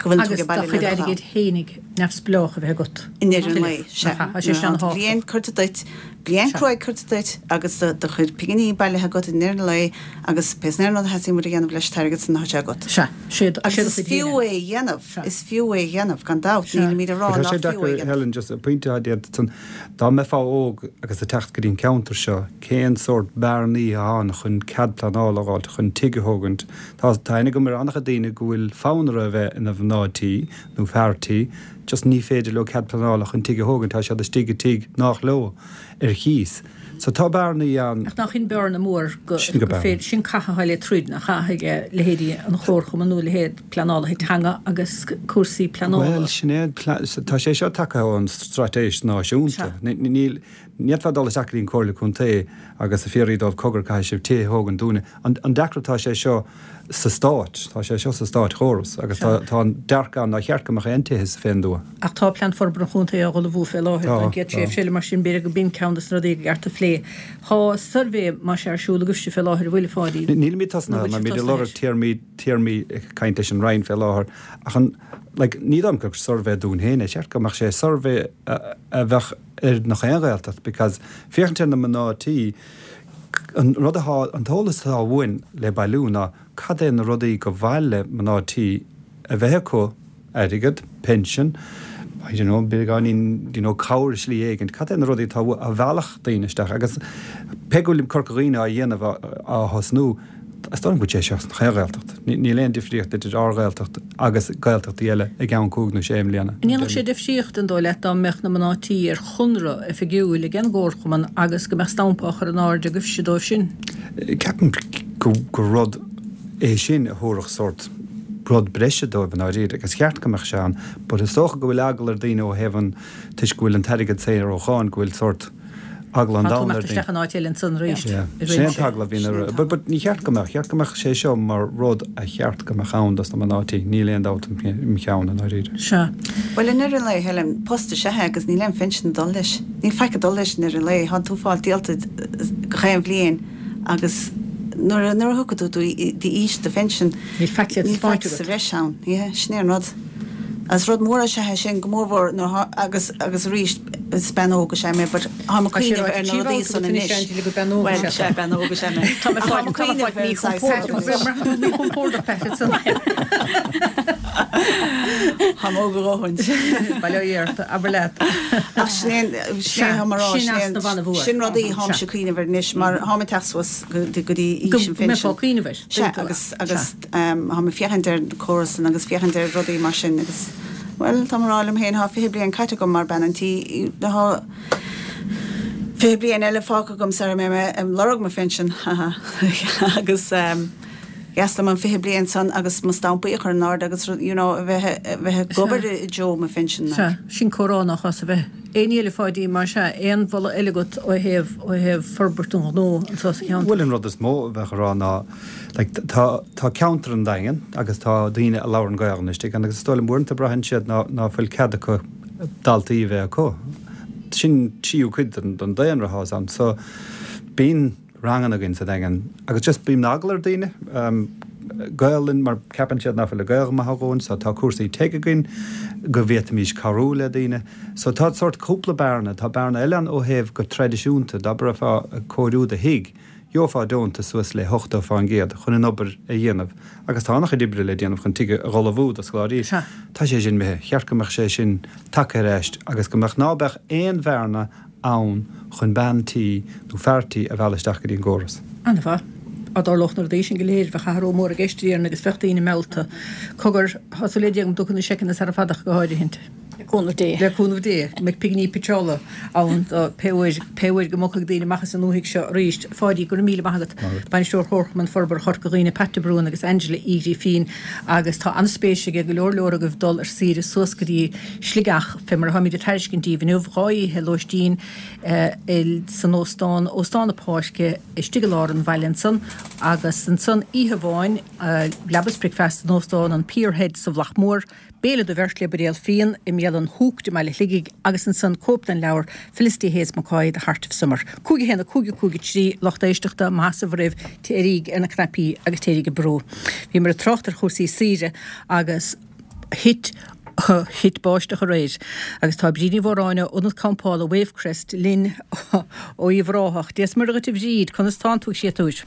go bhfuileann tú age Agus do baile le chuid do chlann. airgid fhéinig neamhspleách a bheith agat. I ndeireadh an lae, sea. Tá sé sin Nuair atá bliain curtha duit, bliain cruaidh curtha duit agus do chuid pinginí bailithe agat i ndeireadh an lae, Agus pé aon rud a theastaíonn uait a dhéanamh leis an t-airgead san tá sé agat. Sea. Sé do Agus is chuid fiú féin é a dhéanamh. Sea. Is fiú é a dhéanamh, gan dabht. Sea. Nílimid ag rá Tá nach sé fiú é a deacair, dhéanamh. Helen, just pointe atá déanta ansan. Dá mbeifeá óg agus ag teacht go dtí an ceantar seo, cén sórt bearnaí atá ann chun cead pleanála a dh'fháilt chun tigh a thógaint? Tá tá aithne agam ar an-chuid daoine go bhfuil fonn orthu a bheith ina mhná tí nó fear tí, just ní féidir leo cead pleanála chun tigh a thógaint, tá siad istigh i tigh nách leo ar chíos. So tá bearnaí ann. Ach nach in bearna mór go Sin go bearna. féidir, sin caithfidh a le troid, nach caithfidh leithéidí an Chomharchumainn nó leithéid pleanálaithe teanga agus cúrsaí pleanála. Bhuel, sin é, tá sé seo tagtha ón straitéis náisiúnta. Sea. Níl, ní fhéadfá dul isteach go dtí an Comhairle Contae agus a fiafraí dóibh cogar caithfidh sibh tithe a thógaint dúinne. An deacracht tá sé seo sa stát, tá sé seo sa státchóras agus tá tá an dearcadh ann nár cheart go mbeadh aon tithe sa féin dtuath. Ach tá Plean Forbartha an Chontae á ullmhú fé láthair Tá, don gcéad tá. tréimhse eile, mar sin b'fhéidir go b'in ceann de na rudaí go gceart a phlé. plé. Tá suirbhé, más ea, ar siúl agaibhse fé láthair, an bhfuil, a Pháidín? Nílimid tosnaithe mar táimid ag lorg téarmaí, téarmaí ag caint leis an Roinn fé láthair ach an, like, ní dóigh liom gur suirbhé dúinn féin é, cheart go mbeadh sé suirbhé a bheadh ar nach aon Ghaeltacht because féachaint ar na mná tí, an rud atá, an t-eolas atá uainn le bailiú ná cad é na rudaí go mhaith le mná tí a bheith acu, airgead, pinsean, I don't know, beagáinín, you know, cabhair i slí éigint, cad é na rudaí atá uathu a mheallfadh daoine isteach agus pé go bhfuil Corca Dhuibhne á dhéanamh, á thosnú, is dóigh liom go bhfuil sé seo sna chaon Ghaeltacht. Níl aon difríocht idir ár Ghaeltacht agus Gaeltachtaí eile i gceann cúig nó sé mbliana. An ndéanfadh sé difríocht, an dóigh leat, dá mbeadh na mná tí ar chonradh oifigiúil ag an gcomharchumann agus go mbeadh stampa á chur in airde agaibhse dóibh sin? Ceapaim gur rud é sin a thabharfadh sórt rud breise dóibh i ndáiríre agus cheart go mbeadh sé ann but is dócha go bhfuil eagla ar daoine ó thaobh an, toisc go bhfuil an t-airgead saor ó cháin, go bhfuil sórt eagla an Tá tú domhain ar imeacht daoine. isteach in áit eile ansan arís Yeah. i Sin é an réimse. t-eagla a bhíonn ar, but, but ní cheart go mbeadh, cheart go mbeadh sé seo mar rud a cheart go mbeadh ann dos na mná tí, níl aon dabht im cheann i ndáiríre. Sea. Bhuel, i ndeireadh an lae, Helen, post is ea é agus níl aon phinsean ag dul leis. Níl faic ag dul leis i ndeireadh an lae. Tá tú ag fáil díolta gach aon bhliain agus nuair a, nuair a thiocfaidh tú d'aois do phinsin, Níl faic le níl taispeáint faic sa agat. bhreis ann. Yeah, sin é an rud. Agus rud mór is ea é sin, go mórmhór nuair atá, agus, agus arís, is bean óg is ea mé, but táim ag Tá sé cuimhneamh ráite ar na trí rudaí bhabhta san agat anois, anois. Angela, gur bean óg Bhuel, is ea sea, tú. bean óg is ea mé. Tá mé Ach fáil, táim ag tá mé cuimhneamh fáil ar an saghas míchompordach Tá mé míchompordach, Pat, ansan. Táim óg a dhóthain. Bail ó Dhia ort, abair leat. Ach sin é, sin é táim a rá, Sin sin é, easnamh an-mhór. sin rudaí tháimse ag cuimhneamh air anois, mar tháim ag teacht suas go dtí Go aois an mbeifeá phinsin. ag cuimhneamh air. Sea, agus, agus táim ag féachaint ar an córas san agus féachaint ar rudaí mar sin agus, bhuel, táim a rá liom féin, tá 20 bliain caite agam mar bean an tí, tá 20 bliain eile fágtha agam sara mbeidh mé ag lorg mo phinsean, ha ha, agus dheas liom an 20 bliain san agus mo stampaí a chur in airde agus, you know, a bheith, a bheith ag obair i dtreo mo phinsin, Sea, like. sin comhrá nach as a bheith. Aon ní eile, a Pháidín, más ea, aon mholadh eile agat ó thaobh, ó thaobh forbairt an ghnó anseo sa cheantar? Bhuel an rud is mó a bheadh a rá ná like tá, tá ceantar an Daingin agus tá daoine a labhrann Gaelainn istigh ann agus is dóigh liom uaireanta braitheann siad ná, ná fuil cead acu daltaí a bheith acu. Sin tríú cuid den, den daonra atá ann. So bíonn ranganna againn sa Daingean agus just bíonn eagla ar daoine Gaelainn mar ceapann siad nach bhfuil a Gaeilge maith a dhóthain so tá cúrsaí TEG againn go bhféadfaimis cabhrú le daoine. So tá sórt cúpla bearna, tá bearna eile ann ó thaobh go traidisiúnta dá mbeifeá ag cóiriú do thigh, gheofá deontas suas le 80% chun an obair a dhéanamh agus tá an-chuid oibre le déanamh chun tigh a dh'ullmhú do scoláirí. Tá sé sin imithe. Cheart go mbeadh sé sin tagtha ar ais agus go mbeadh ná beadh aon bhearna ann chun bean tí nó fear tí a mhealladh isteach go dtí an gcóras. An-mhaith. Dá dtarlódh na rudaí sin go léir, bheadh athrú mór i gceist, a déarfainn, agus bheadh daoine meallta. Cogar, tá súil le Dia go dtiocfaidh na seiceanna sara fada ach go háirithint. Le cúnamh Dé. Le cúnamh Dé, go mbeidh pinginí pitseála ann do pé uair, pé uair go mbogfaidh daoine amach as an ndúthaigh seo arís. A Pháidí, go raibh míle maith agat. Bainisteoir Chomharchumann Forbartha Chorca Dhuibhne, Pat de Brún agus Angela Uí Ghrifín agus tá an-spéis ag go leor leor agaibh dul ar saoire suas go dtí Sligeach, fé mar atáimid ag tairiscint daoibh inniu, 2 oíche lóistín san óstán, Óstán na Páirce, istigh i lár an bhaile ansan, agus ansan oíche amháin, leaba is bricfeasta in Óstán an Pier Head sa Mhullach Mór, béile do bheirt le buidéal fíon i mbialann Hooked i mBaile Shligigh agus ansan cóip den leabhar Felicity Hayes McCoy, The Heart of Summer. 5 1 5 5 3 Lucht éisteachta, maith sibh oraibh, téiríg ar na cnaipí agus téiríg ag brú. Bhíomar ag trácht ar chúrsaí saoire agus. Thit thit báisteach aréir agus tá Bríd Ní Mhóráin ó Ionad Campála Wavecrest linn ó Uíbh Ráthach. Dia is Muire dhuit a Bhríd, conas tánn tú a chréatúir?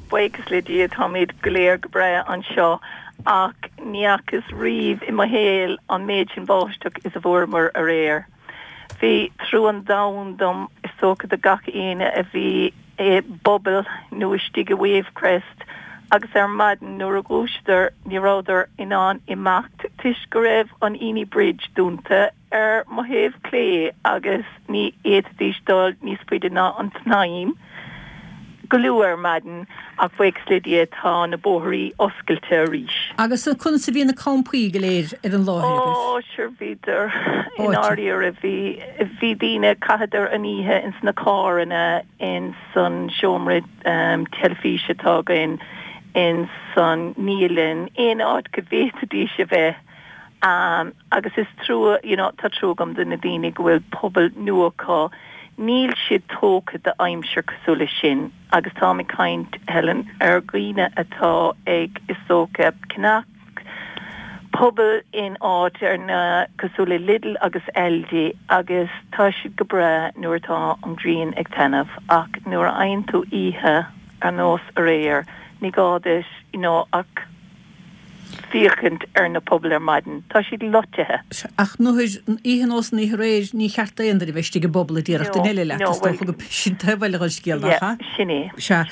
Buíochas le Dia táimid go léir go breá anseo ach ní fhacas riamh i mo shaol an méid sin báisteach is a bhfuaireamar aréir. Bhí trua an domhain dom, is dócha do gach éinne a bhí i bpuball nó istigh i Wavecrest agus ar maidin nuair a dhúiseadar ní rabhadar in ann imeacht toisc go raibh an Inny Bridge dúnta ar mo thaobh clé agus ní fhéadfaidís dul níos faide ná an tSnaidhm. go luath ar maidin ach buíochas le Dia tá na bóithrí oscailte arís. Agus conas a bhí na campaí go léir ar an láthair agaibh? Ó, sure bhíodar i ndáiríre bhí, bhí daoine, chaitheadar an oíche ins na carranna, ins an seomra teilifíse atá againn, ins an naíolann, aon áit go bhféadfaidís a bheith. Agus is trua, you know, tá trua agam do na daoine go bhfuil puball nua acu. Níl siad tógtha d'aimsir cosúil leis sin agus táim ag caint, Helen, ar dhaoine atá ag, is dócha, ceannach puball in áiteanna cosúil le Lidl agus Aldi agus tá siad go breá nuair atá an ghrian ag taitneamh ach nuair a fhaigheann tú oíche ar nós aréir, ní gá duit, you know, ach. féachaint ar na pubaill ar maidin. Tá siad loitithe. Ach nuair, oíche nós an oíche aréir, ní cheart d'aon duine bheith istigh i bpuball a déarfadh duine eile leat, is dócha go sin taobh eile den scéal, nach ea? Sin é. Sea.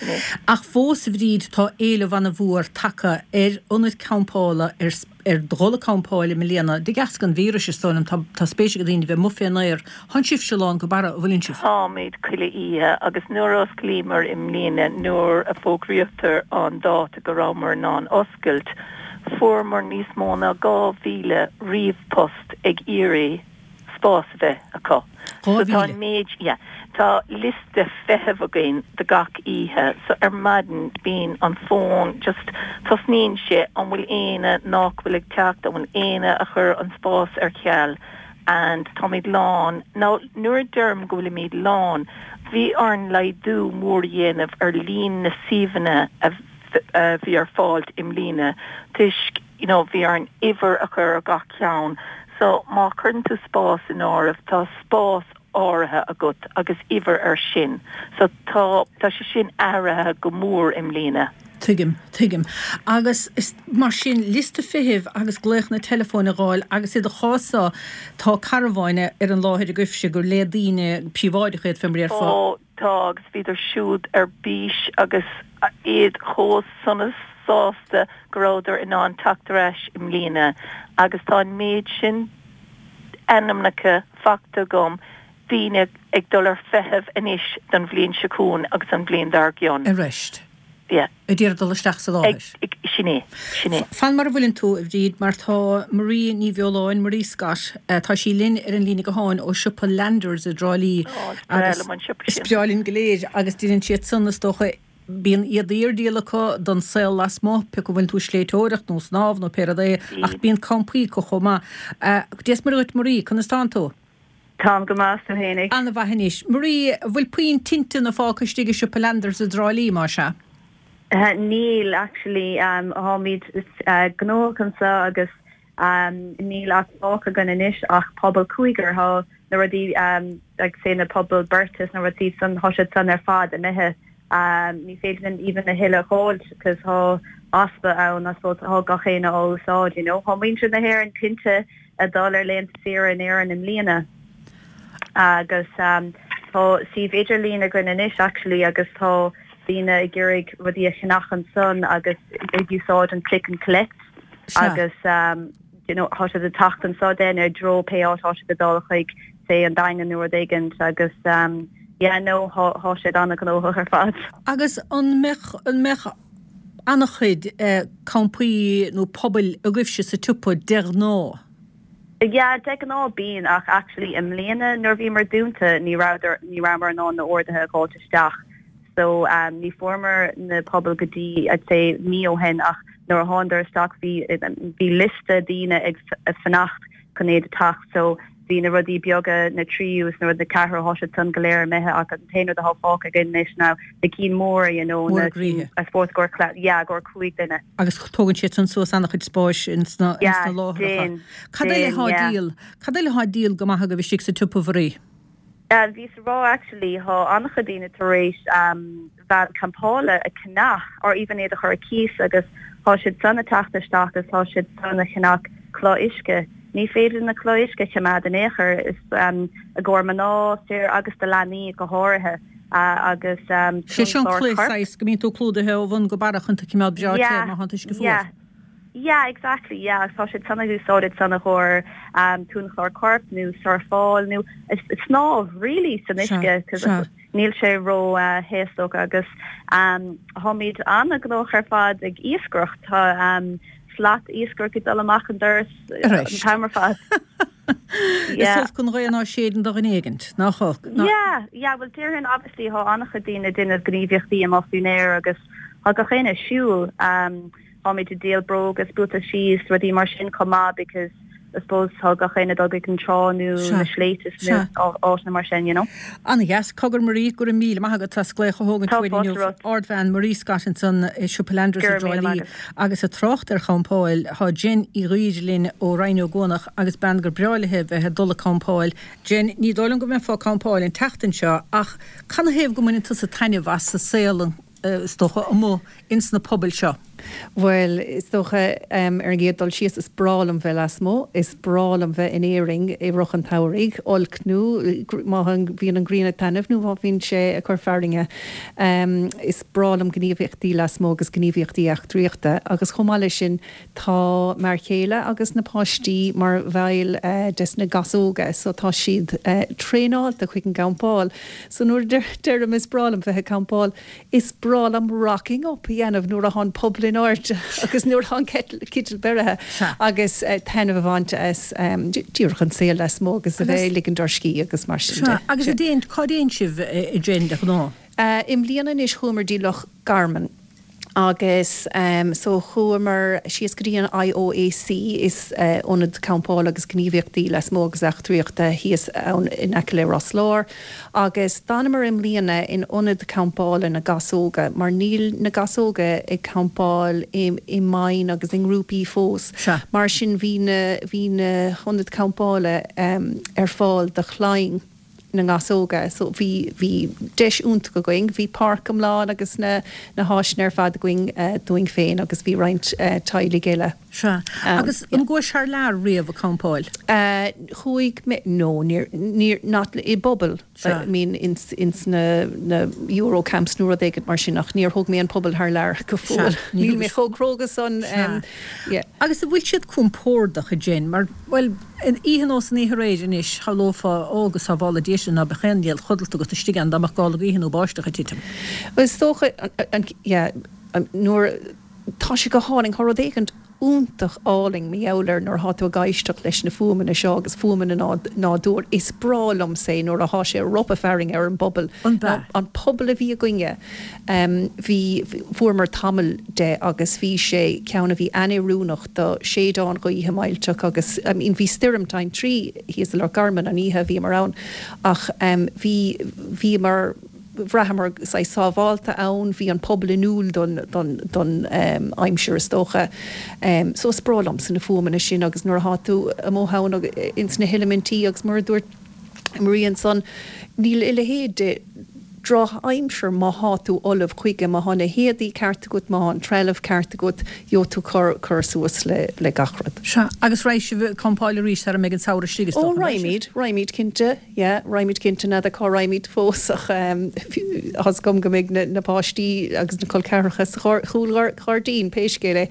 Ach fós, a Bhríd, tá éileamh ana-mhór tagtha ar ionaid campála, ar ar dhul ag campáil i mbliana, de dheasca an víris, is dóigh liom. Tá tá spéis ag daoine bheith amuigh fén aer. Thánn sibhse lán go barra, an bhfuileann sibh? Táimid chuile oíche agus nuair a osclaíomar i mbliana, nuair a fógraíodar an dáta go rabhamar in ann oscailt, fuaireamar níos mó ná 2,000 ríomhphost ag iarraidh spás a bheith acu. So tá an méid, yeah, tá liosta feithimh againn do gach oíche so ar maidin bíonn an fón just, tosnaíonn sé, an bhfuil éinne nách bhfuil ag teacht, an bhfuil éinne a chuir an spás ar ceal and táimid lán. Now nuair a deirim go bhfuilimid lán, bhí orainn laghdú mór a dhéanamh ar líon na suíomhanna a bhí ar fáil i mbliana toisc you know bhí orainn uimhir a chur ar gach ceann so má chuireann tú spás in áireamh tá spás áirithe agat agus uimhir ar sin so tá tá sé sin athraithe go mór i mbliana. Tuigim, tuigim. Agus is mar sin, liosta feithimh agus glaochanna teileafóin a dh'fháil agus i do chás-sa tá carbháin ar an láthair agaibhse gur le daoine príobháideacha iad fé mar a déarfá. Ó tá agus bhíodar siúd ar bís agus iad chomh sona sásta go rabhadar in ann teacht ar ais i mbliana agus tá an méid sin ainmneacha faighte agam daoine ag dul ar feitheamh anois don bhliain seo chugainn agus an bhliain dár gcionn. Arís. Yeah. Ag iarraidh dul isteach sa láthair. Ag, sin é, sin é. Fan mar a bhfuileann tú, a Bhríd, mar tá Marie Ní Bheoláin, Marie Scott, tá sí linn ar an líne gutháin ó siopa Landers i dTrá Lí. Ó, is breá liom an siopa sin. Is breá linn go léir agus déanann siad san, is dócha, bíonn éadaí ar díol acu don saol lasmuigh, pé acu an bhfuil tú ag sléibhteoireacht nó snámh nó pé rud é, ach bíonn campaí acu chomh maith. Dia is Muire dhuit Marie, conas tánn tú? Táim go maith, 's tú fhéinig? An-mhaith anois. Marie, an bhfuil puinn tinteanna fágtha istigh i siopa Landers i dTrá Lí, más ea? Níl, actually. Táimid gnóthach anseo agus níl ach fágtha againn anois ach puball cúigear. Tá na rudaí, like say na pubaill beirte is na rudaí san, tá siad san ar fad imithe. Ní féidir linn even a thuilleadh a dh'fháilt because tá easpa ann, I suppose, tá gach éinne á úsáid, you know. Tá muintir na hÉireann cinnte ag dul ar laethanta saoire in Éirinn i mbliana agus tá suíomh idirlín againn anois actually agus tá daoine ag iarraidh rudaí a cheannach ansan agus ag úsáid an click and collect agus you know tá siad ag teacht anso then i dtreo pé áit tá siad ag dul chuig say an Daingean nó rud éigint agus yeah no thá siad an-ghnóthach ar fad. Agus an mbeadh an mbeadh an-chuid campaí nó pubaill agaibhse sa tsiopa de ghnáth? Yeah, de ghnáth bíonn ach actually i mbliana nuair a bhíomar dúnta ní rabhadar ní rabhamar in ann na orduithe a dh'fháilt isteach so ní fuaireamar na pubaill go dtí I'd say mí ó shin ach nuair a thánadar isteach bhí bhí liosta daoine ag fanacht chun iad a teacht so Bhí na rudaí beaga, na tríú is na rudaí ceathrú, thá siad san go léir imithe ach an t-aon rud athá fágtha againn anois ná na cinn móra, you know, na cinn, I suppose, i gcomhair, yeah, i gcomhair 5 duine. Agus tógann siad san suas an-chuid spáis ins na, ins na láithreacha. Yeah, déan, Cad eile déan, thá yeah. díol, cad eile thá díol go maith agaibh istigh sa tsiopa, Mharie? Bhíos a rá actually, thá an-chuid daoine tar éis veain campála a cheannach or even iad a chur ar cíos agus thá siad san ag teacht isteach agus thá siad san ag ceannach culaith uisce. Ní féidir na culaith uisce a choimeád in aon chor, is i gcomhair mná, fir agus do leanaí go háirithe agus Sé seo an clár culaith coirp. saghas go mbíonn tú clúdaithe ó bhun go barra chun tú a choimeád breá te Yeah, má thánn an t-uisce fuar. yeah. Yeah, exactly, yeah, agus tá siad san ag úsáid san i gcomhair uainchlár coirp nó surfáil nó snámh really san uisce cos níl sé ró théasach agus táimid an-ghnóthach ar fad ag iascaireacht, tá slat iascaireacht ag dul amach an doras an t-am ar fad. Is olc an ghaoth ná séideann do dhuine éigint, nach olc? Yeah, yeah, well déarfainn obviously tá an-chuid daoine ag déanamh gníomhaíochtaí amuigh faoin aer agus tá gach éinne ag siúl. Táimid ag díol bróga is buataisí is rudaí mar sin chomh maith because. I suppose tá gach éinne ag dul go an trá nó na sléibhte nó áiteanna mar sin, you know. Ana-dheas. Cogar Marie, go raibh míle maith agat as glaoch a thógaint Tá uainn fáilte inniu. romhat. Ardbhean Marie Scott ansan i Siopa Landers Go i raibh dTrá míle Lí. maith agat. Agus ag trácht ar champáil, tá Jen Uí Dhuibhir linn ó Rinn Ó gCuanach agus bean gur breá léi bheith ag dul ag campáil. Jen, ní dóigh liom go mbeifeá ag campáil an tseachtain seo ach canathaobh go mbaineann tusa taitneamh as an saol is dócha amuigh ins na pubaill seo? Bhuel, is dócha, ar an gcéad dul síos, is breá liom bheith lasmuigh. Is breá liom bheith in Éirinn i rith an tsamhraidh, olc nó má bhíonn an ghrian ag taitneamh nó má bhíonn sé ag cur fearthainne. Is breá liom gníomhaíochtaí lasmuigh agus gníomhaíochtaí eachtraíochta agus chomh maith leis sin tá m'fhear céile agus na páistí mar bhaill des na Gasóga so tá siad traenáilte chuig an gcampáil. So nuair a deirim is breá liom bheith ag campáil, Is breá liom rocking up a dhéanamh nuair atá an puball in airde agus nuair atá an citeal beirithe agus taitneamh a bhaint as díreach an saol lasmuigh agus a bheith ag ligint ár scíth agus mar sin de. Sea, agus a dtéann, cá dtéann sibh a Jen de ghnáth? I mbliana anois chuamar dtí Loch Garman agus so chuamar síos go dtí an IOAC, is ionad campála agus gníomhaíochtaí lasmuigh agus eachtraíochta thíos ann in aice le Ros Láir. Agus d'fhanamar i mbliana in ionad campála na Gasóga mar níl na Gasóga ag campáil i mbandaí agus i ngrúpaí fós. Mar sin bhí na bhí na hionaid campála ar fáil do chlainn na nGasóga. So bhí bhí deis iontach againn. Bhí páirc iomlán agus na na háiseanna ar fad againn dúinn féin agus bhí roinnt teaghlaigh eile. Sea. Agus an gcuais thar lear riamh ag campáil? Chuaigh mé, no, níor, níor, not i bpuball, I mean ins, ins na, na Euro camps nó rud éigint mar sin ach níor thóg mé an puball thar lear go fóill. Níl mé chomh cróga san, yeah. Agus an bhfuil siad compordach, a Jen, mar, bhuel, oíche nós an oíche aréir anois, shamhlófá, ó, go sábhála Dia sinn, ná beadh aon néal codlata agat istigh ann dá mbeadh gála gaoithe nó báisteach ag titim. Bhuel, is dócha, an, yeah, nuair, Tá sé go hálainn. Tá rud éigint iontach álainn mar gheall air nuair atá tú ag éisteacht leis na fuaimeanna seo agus fuaimeanna an nádúir. Is breá liomsa é nuair atá sé ag ropadh fearthainne ar an bpuball. An puball a bhí againne, bhí, fuaireamar tamall de agus bhí sé ceann a bhí an-oiriúnach do séideán gaoithe millteach agus, I mean, bhí stoirm tintrí thíos i Loch Garman an oíche a bhíomar ann ach bhí, bhíomar, bhraitheamar saghas sábhálta ann, bhí an puball inniúil don aimsir is dócha. So is breá liomsa na fuaimeanna sin agus nuair atá tú amuigh ann ins na heilimintí agus mar a dúirt Marie ansan, níl a leithéid de drochaimsir má thá tú ullamh chuige, má thá na héadaí ceart agat, má thá an trealamh ceart agat, gheobhaidh tú cur suas le gach rud. Sea, agus raghaidh sibh ag campáil arís sara mbeidh an samhradh istigh is dócha, an mbeidh sibh? Ó raghaimid, raghaimid cinnte. Yeah, raghaimid cinnte, n'fheadar cá raghaimid fós ach tá's agam go mbeidh na páistí agus na col ceathracha sa chúlghairdín pé scéal é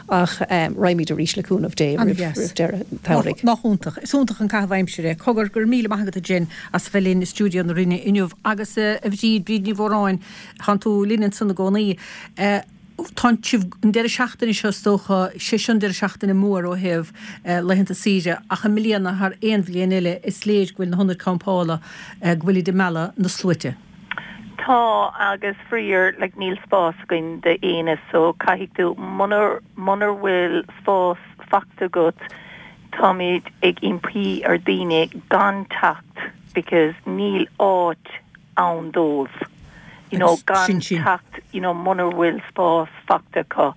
ach raghaimid arís le cúnamh Dé roimh deireadh an tsamhraidh. Nach iontach. Is iontach an caitheamh aimsire é. Cogar, go raibh míle maith agat a Jen as a bheith linn i stiúideo na Rinne inniu agus a Bhríd, Bríd Ní Mhóráin, tánn tú linn ansan i gcónaí. Tá sibh, an deireadh seachtaine seo is dócha, sé seo an deireadh seachtaine mór ó thaobh laethanta saoire ach i mbliana thar aon bhliain eile is léir go bhfuil na hionaid campála, go bhfuilid ag mealladh na sluaite. Tá agus faraor like níl spás againn d'éinne so caithfidh tú munar munar bhfuil spás fachta agat táimid ag impí ar daoine gan teacht because níl áit ann dóibh you know gan teacht you know munar bhfuil spás fachta acu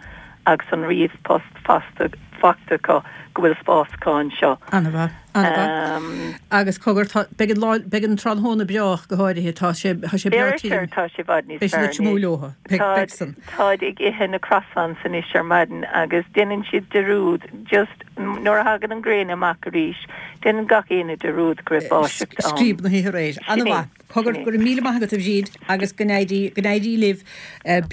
agus an ríomhphost fachta fachta acu go bhfuil spás acu anseo. Ana-mhaith, ana-mhaith. Agus cogar, tá, beidh an lá, beidh an tráthnóna breá ach go háirithe, tá sé, tá sé breá tirim. Tá sé i bhfad níos fearr anois. Beidh siad ag triomú leotha, beidh, beidh san. Táid ag ithe na croissants anois ar maidin agus déanann siad dearúd just nuair a thagann an ghrian amach arís, déanann gach éinne dearúd go raibh báisteach ann. Scríob na hoíche aréir. Ana-mhaith. Cogar, go raibh míle maith agat a Bhríd agus go n-éirí, go n-éirí libh.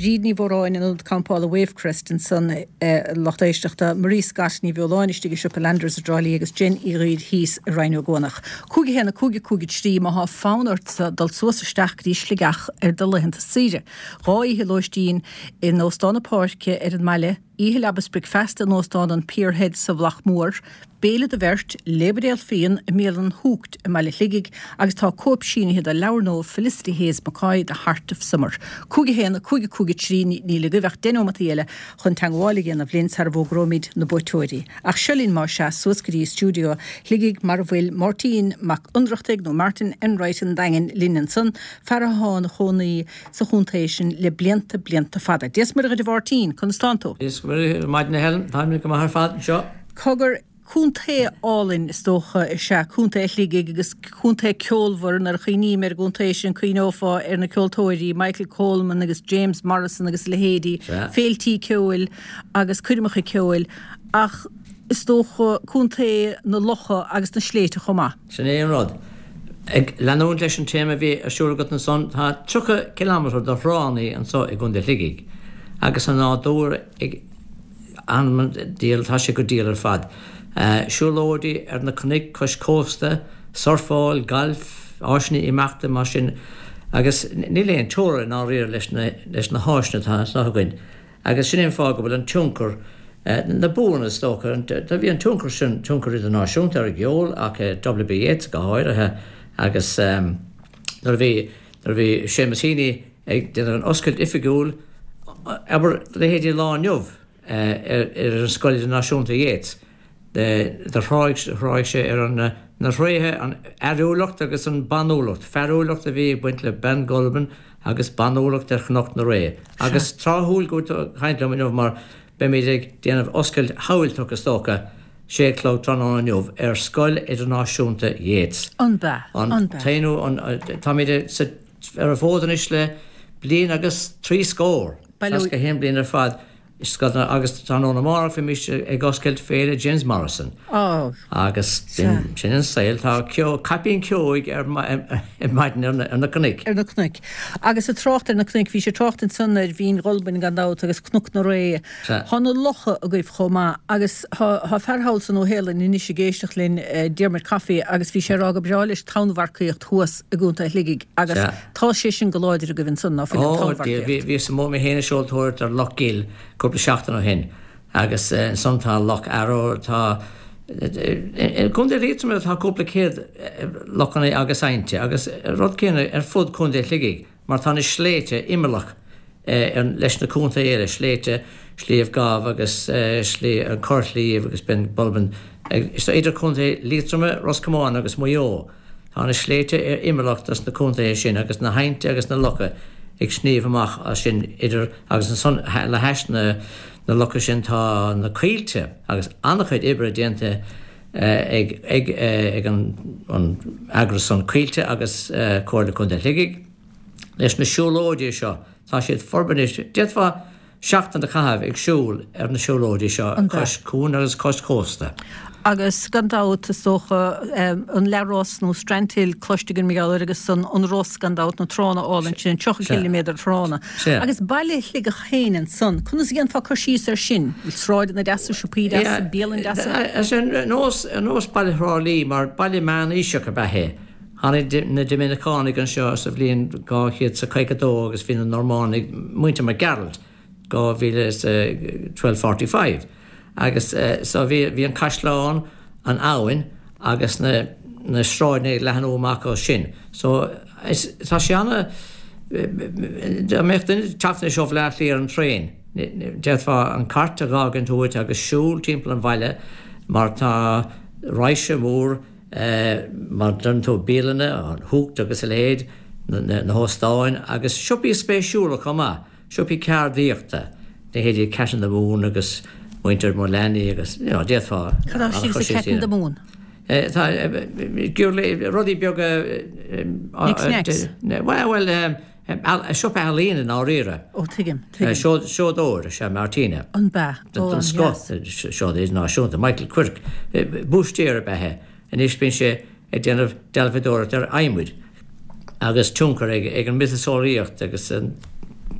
Bríd Ní Mhóráin in Ionad Campála Wavecrest ansan, a lucht éisteachta, Marie Scott Ní Bheoláin istigh i siopa Landers i dTrá Lí agus Jen Uí Dhuibhir thíos i Rinn Ó gCuanach. 5 1 5 5 3 Má thá fonn ortsa dul suas isteach go dtí Sligeach ar do laethanta saoire. Dhá oíche lóistín in Óstán na Páirce ar an mbaile. Oíche leaba is bricfeasta in Óstán an Pier Head sa Mhullach Mór, béile do bheirt, leathbhuidéal fíon i mbialann Hooked i mBaile Shligigh agus tá cóip sínithe de leabhar nua Felicity Hayes McCoy, The Heart of Summer. 5 1 5 5 3 Níl agaibh ach deich neomataí eile chun teagmháil a dhéanamh linn sara bhfógróimid na buaiteoirí. Ach seo linn más ea suas go dtí stiúideo Shligigh mar a bhfuil Máirtín Mac Ionnrachtaigh nó Martin Enright an Daingin linn ansan, fear athá ina chónaí sa chontae sin le blianta, blianta fada. Dia 's Muire dhuit a Mháirtín, conas tánn tú? Dia 's Muire ar maidin a Helen, táim go maith ar fad anseo. Cogar, contae álainn is dócha is ea Contae Shligigh agus contae ceolmhar, nuair a chuimhním ar an gcontae sin cuimhneofá ar na ceoltóirí Michael Coleman agus James Morrison agus a leithéidí, féiltí ceoil agus coirmeacha ceoil ach is dócha contae na locha agus na sléibhte chomh maith. Sin é an rud. Ag leanúint leis an téama a bhí ar siúl agat ansan, tá 30 cileámetar de thránna anso i gContae Shligigh agus an nádúr ag an-diabhal, tá sé go diail ar fad. Siúlóidí ar na cnoic cois cósta, surfáil, gailf, áiseanna imeachta mar sin agus níl aon teora i ndáiríre leis na háiseanna atá anso againn. Agus sin é an fáth go bhfuil an tionchar, na buanna is dócha, do bhí an tionchar sin, tionchar idirnáisiúnta ar an gceol ach W.B. Yeats go háirithe agus nuair a bhí, nuair a bhí Seamus Heaney ag déanamh an oscailt oifigiúil, abair, leithéidí Lá Inniu ar an Scoil Idirnáisiúnta Yeats, Do thráigh sé ar na thréithe, an fhearúlacht agus an banúlacht, fearúlacht a bhí ag baint le Bean Ghulbain agus banúlacht ar Chnoc na Ré. Agus tráthúil go bhfuil tú ag caint liom inniu mar beimid ag déanamh oscailt shamhailteach is dócha, sé a chlog tráthnóna inniu ar Scoil Idirnáisiúnta Yeats. An bea? An t-aonú, táimid ar an bhfód anois le bliain agus 60, 61 bliain ar fad. Agus tráthnóna amárach bheimis ag oscailt Féile James Morrison. Agus sin an saol, tá caipín ceoigh ar maidin ar na cnoic. Ar na cnoic. Agus ag trácht ar na cnoic, bhís ag trácht ansan ar Bhinn Ghulbain gan dabht agus Cnoc na Ré. Tá na locha agaibh chomh maith agus tá fear thall sa Nua-Shéalainn anois ag éisteacht linn, Diarmuid Coffey, agus bhí sé ag rá go breá leis tonnmharcaíocht thuas i gContae Shligigh agus Tá sé sin go láidir agaibh ansan, ná fuil, an Ó, Dia, bhí, bhíos amuigh mé féin ag seoltóireacht ar Loch Gill cúpla seachtain ó shin agus ansan tá Loch Arrow, tá, i gContae Liatroma tá cúpla céad lochanna agus aibhnte agus rud céanna ar fud Contae Shligigh mar tá na sléibhte imeallach leis na contaetha eile, sléibhte Shliabh Gamh agus Sliabh, an Corrshliabh agus Ben Bulben, idir Contae Liatroma, Ros Comáin agus Maigh Eo. Tá na sléibhte ar imeallach dos na contaetha sin agus na haibhnte agus na locha ag sníomh amach as sin idir agus ansan le hais na na locha sin tá na coillte agus an-chuid oibre déanta ag ag ag an an eagras san Coillte agus Comhairle Contae Shligigh leis na siúlóidí seo tá siad forbartha anois d'fhéadfá seachtain a chaitheamh ag siúl ar na siúlóidí seo cois cuain agus cois cósta. Agus gan dabht, is dócha, an Leathros nó Strandhill cloiste againn mar gheall air agus an Ros gan dabht, na tránna álainn sin, an 30 ciliméadar tránna. Agus baile Shligeach féin ansan, conas a dhéanfá cur síos air sin? Bhfuil sráideanna deasa, siopaí deasa, bialann deasa? Ar nós, ar nós baile Thrá Lí, mar baile meánaoiseach ab ea é. Tháinig na Doiminiceánaigh anseo sa bhliain 252 agus bhí na Normánaigh, muintir Mac Gearailt, 1245 agus so bhí bhí an caisleán, an abhainn agus na na sráideanna ag leathnú amach ó sin. So is tá sé ana dá mbeadh duine ag teacht anois ó Bhaile Átha Cliath ar an traein, d'fhéadfá an cairt a dh'fhágaint uait agus siúl timpeall an bhaile mar tá raidhse mór mar a deireann tú, bialanna, an Hooked agus a leithéid, na hóstáin agus siopaí spéisiúla chomh maith, siopaí ceardaíochta, leithéidí Cat in the Moon agus muintir Mullaney agus, you know, d'fhéadfá Cad é sin sa Cat in the Moon? Tá rudaí beaga. Knicks Knacks? Bhuel, siopa ealaíne i ndáiríre. Ó, tuigim, tuigim. Seodóir is ea Martina. An b'ea? Ó, Den scoth, seodóir idirnáisiúnta. Michael Quirke, búistéir ab ea é. Anois bíonn sé ag déanamh dealbhadóireacht ar adhmaid agus tionchar ag an miotaseolaíocht agus an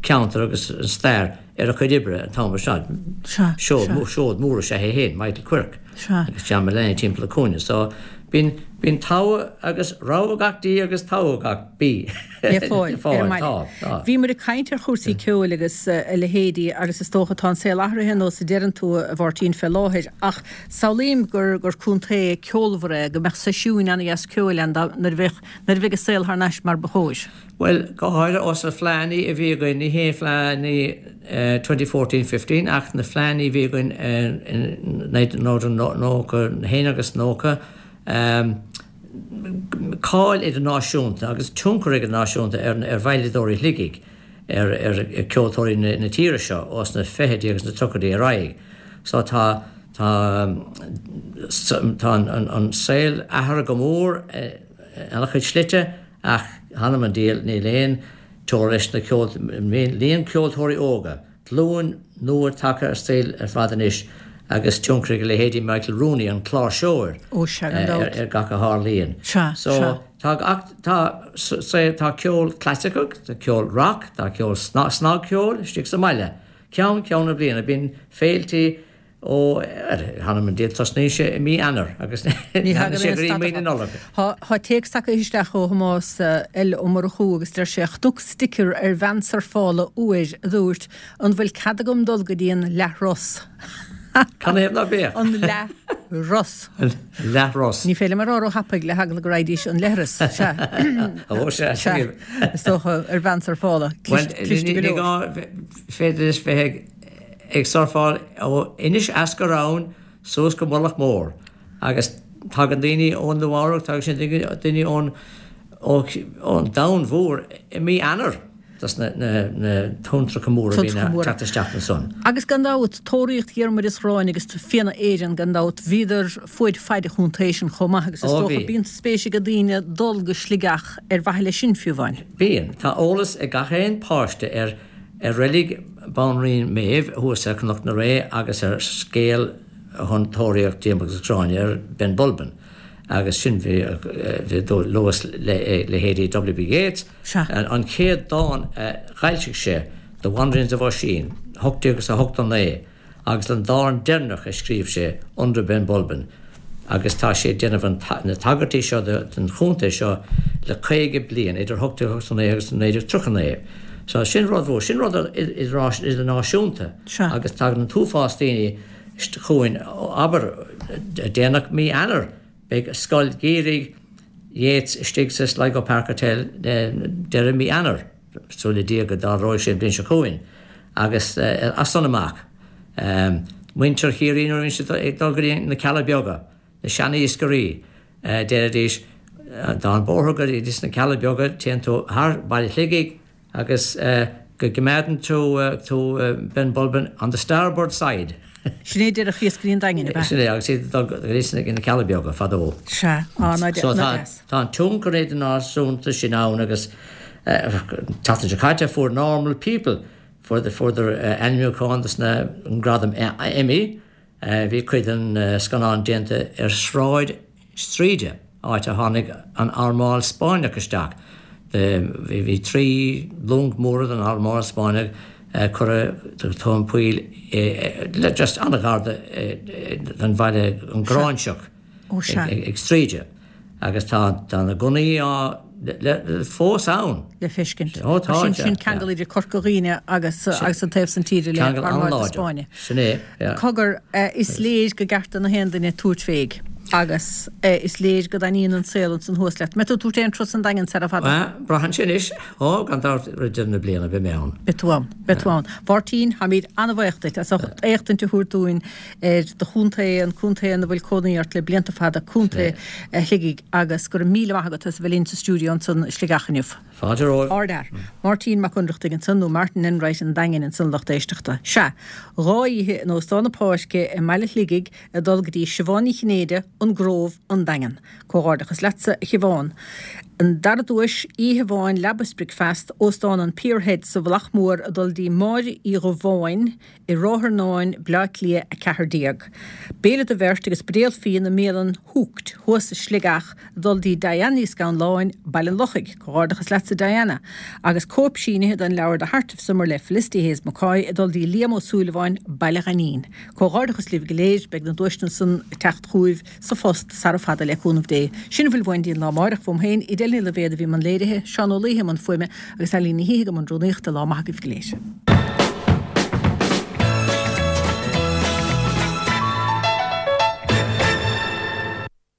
ceantar agus an stair ar a chuid oibre an t-am seo. Seod mór is ea é féin, Michael Quirke. Agus John Mullany timpeall na cúinne. So. Bíonn, bíonn togha agus rogha gach dí agus togha gach bí Le fáil le ar an fáil. mbaile. Tá, tá. Bhí muid ag caint ar chúrsaí ceoil agus a leithéidí agus is dócha tá an saol athraithe ar nós a deireann tú, a Mháirtín, fé láthair ach samhlaím gur, gur contae ceolmhar é, go mbeadh seisiúin ana-dheas ceoil ann dá, nuair a bheadh, nuair a bheidh an saol thar n-ais mar ba chóir. Bhuel, go háirithe ós na fleánnaí a bhí againn, ní hé fleánnaí 2014, 15 ach na fleánnaí a bhí againn in 1991 agus 90, cáil idirnáisiúnta agus tionchar idirnáisiúnta ar veidhleadóirí Shligigh, ar ceoltóirí na tíre seo ós na fichidí agus na tríochaidí ar aghaidh. So tá, tá, tá an saol athraithe go mór in an-chuid slite. Ach th'anam 'on diabhal níl aon teora leis na líon ceoltóirí óga, glúin nua tagtha ar saol ar fad anois agus tionchar ag leithéidí Michael Rooney, an cláirseoir, Ó sea, gan dabht. ar gach a tharlaíonn. Sea, So sea. tá ach tá tá ceol clasaiceach, tá ceol rock, tá ceol snagcheoil istigh sa mbaile. Ceann ceann na bliana bíonn féiltí Ó, th'anam 'on diabhal, tosnaíonn sé i mí Eanáir agus Ní leanann thagann sé aon go dtí stad mí na Nollag. Tá téacs tagtha isteach ó Thomás L. Ó Murchú agus deir sé, Chonac sticker ar veain surfála uair a dúirt, 'An bhfuil cead agam dul go dtí an leathros? Canathaobh ná beadh? An leathros. An leathros. Ní féidir liom a rá róthapaidh le heagla go raghaidís an leithreas. Sea. Ó, sea, Sea. Is dócha ar veain surfála. Bhuel, Cliste go ní leor. gá, féidir leis bheith ag ag surfáil ó Inis Eascar Abhann suas go Mullach Mór agus tagann daoine ó Nua Eabhrac, tagann sin daoine ón ón domhan mhór i mí Eanáir dos na na tonntracha móra a bhíonn ag teacht isteach ansan. Agus gan dabht, Tóraíocht Dhiarmuid is Ghráinne agus Fianna Éireann gan dabht, bhíodar fuaid faid an chontae sin chomh maith agus is Ó dócha bhí. bíonn spéis ag daoine dul go Sligeach ar mhaithe leis sin fiú amháin. Bíonn. Tá eolas ag gach aon páiste ar ar reilig Bhanríon Méabh thuas ar Chnoc na Ré agus ar scéal chun tóraíocht Diarmuid agus Gráinne ar Ben Bulben agus sin bhí luas leithéidí W.B. Yeats. An chéad dán a d'fhoilsigh sé, The Wanderings of Oisín, 1889, agus an dán deireanach a scríobh sé, Under Ben Bulben, agus tá sé ag déanamh na tagairtí seo don chontae seo le 50 bliain, idir 1889 agus 1939. So sin rud mhór, sin rud idirnáisiúnta agus tagann an t-uafás daoine chugainn, abair, déanach mí Eanáir, beidh Scoil Gheimhridh Yeats istigh sa Sligo Park Hotel deireadh mí Eanáir. Súil le Dia go dtarlóidh sé an bhliain seo chugainn agus as san amach. Muintir Chiarraí nuair a bhíonn siad ag dul go dtí na Cealla Beaga, na sean-iascairí, deiridís, tá an bóthar go dtí sna Cealla Beaga, téann tú thar Baile Shligigh agus go gcoimeádann tú tú Ben Bulben on the starboard side. Sin é a deireadh iascairí an Daingin, ab ea? Sin é, agus iad ag dul go dtí na Cealla Beaga fadó. Sea, á, ná So tá, deas. tá an tionchar idirnáisiúnta sin ann agus an tseachtain seo caite fuair Normal People, fuair, fuaireadar ainmniúchán dos na, an gradam Emmy. Bhí cuid den scannán déanta ar Shráid Straoide, áit a tháinig an armáil Spáinneach isteach. Bhí 3 long móra den armáil Spáinneach curtha tóin poill le just an-ghar don bhaile an Ghráinseach ag Straoide. Agus tá na gunnaí á fós ann. le feiscint. Ó tá, Sin sin ceangal idir Corca Dhuibhne agus agus an taobh san tíre le Ceangal Armáid na an-láidir. Spáinne. Sin é, yeah. Cogar, is léir go gceart do na haon duine tabhairt féig agus is léir go dtaitníonn an saol ansan thuas leat. Mbeidh tú ag tabhairt aon turas an Daingean sara fada? Bhuel, braitheann sé anois. Ó, gan dabht roimh deireadh na bliana beidh mé ann. Beidh tú ann. Beidh tú ann. Mháirtín, táimid an-bhaoch duit as ucht éachtaint a thabhairt dúinn ar do chontae, an contae ina bhfuil cónaí ort le blianta fada, Contae Shligigh, agus go raibh míle maith agat as a bheith linn sa stiúideo ansan i Sligeach inniu. Fáilte romhaibh. Ardfhear. Máirtín Mac Ionnrachtaigh ansan, nó Martin Enright an Daingin ansan, lucht éisteachta. Sea, 2 oíche in Óstán na Páirce i mbaile Shligigh ag dul go dtí Siobhán Ní Chinnéide, An Grove, An Daingean. Comhghairdeachas leatsa, a Shiobhán. An dara duais, oíche amháin leaba is bricfeasta, Óstán an Pier Head sa Mhullach Mór ag dul dtí Máire Uí Dhubháin i Ráth Fearnáin, Bleá Cliath 14. Béile do bheirt agus buidéal fíona i mbialann Hooked thuas i Sligeach ag dul dtí Diane Ní Scanláin, Baile an Lochaigh. Comhghairdeachas leatsa Diana. Agus cóip sínithe den leabhar The Heart of Summer le Felicity Hayes McCoy ag dul dtí Liam Ó Súilleabháin, Baile Ghainín. Comhghairdeachas libh go léir, beidh na duaiseanna san ag teacht chugaibh sa phost sara fada le cúnamh Dé. Sin a bhfuil uainn dtí an lá amáireach. Uaim féin, Edel Ní Loibhéad a bhí i mbun léirithe, Seán Ó Laoithe i mbun fuaime agus Eileen Ní hIthe i mbun rúnaíochta. Lá maith agaibh go léir.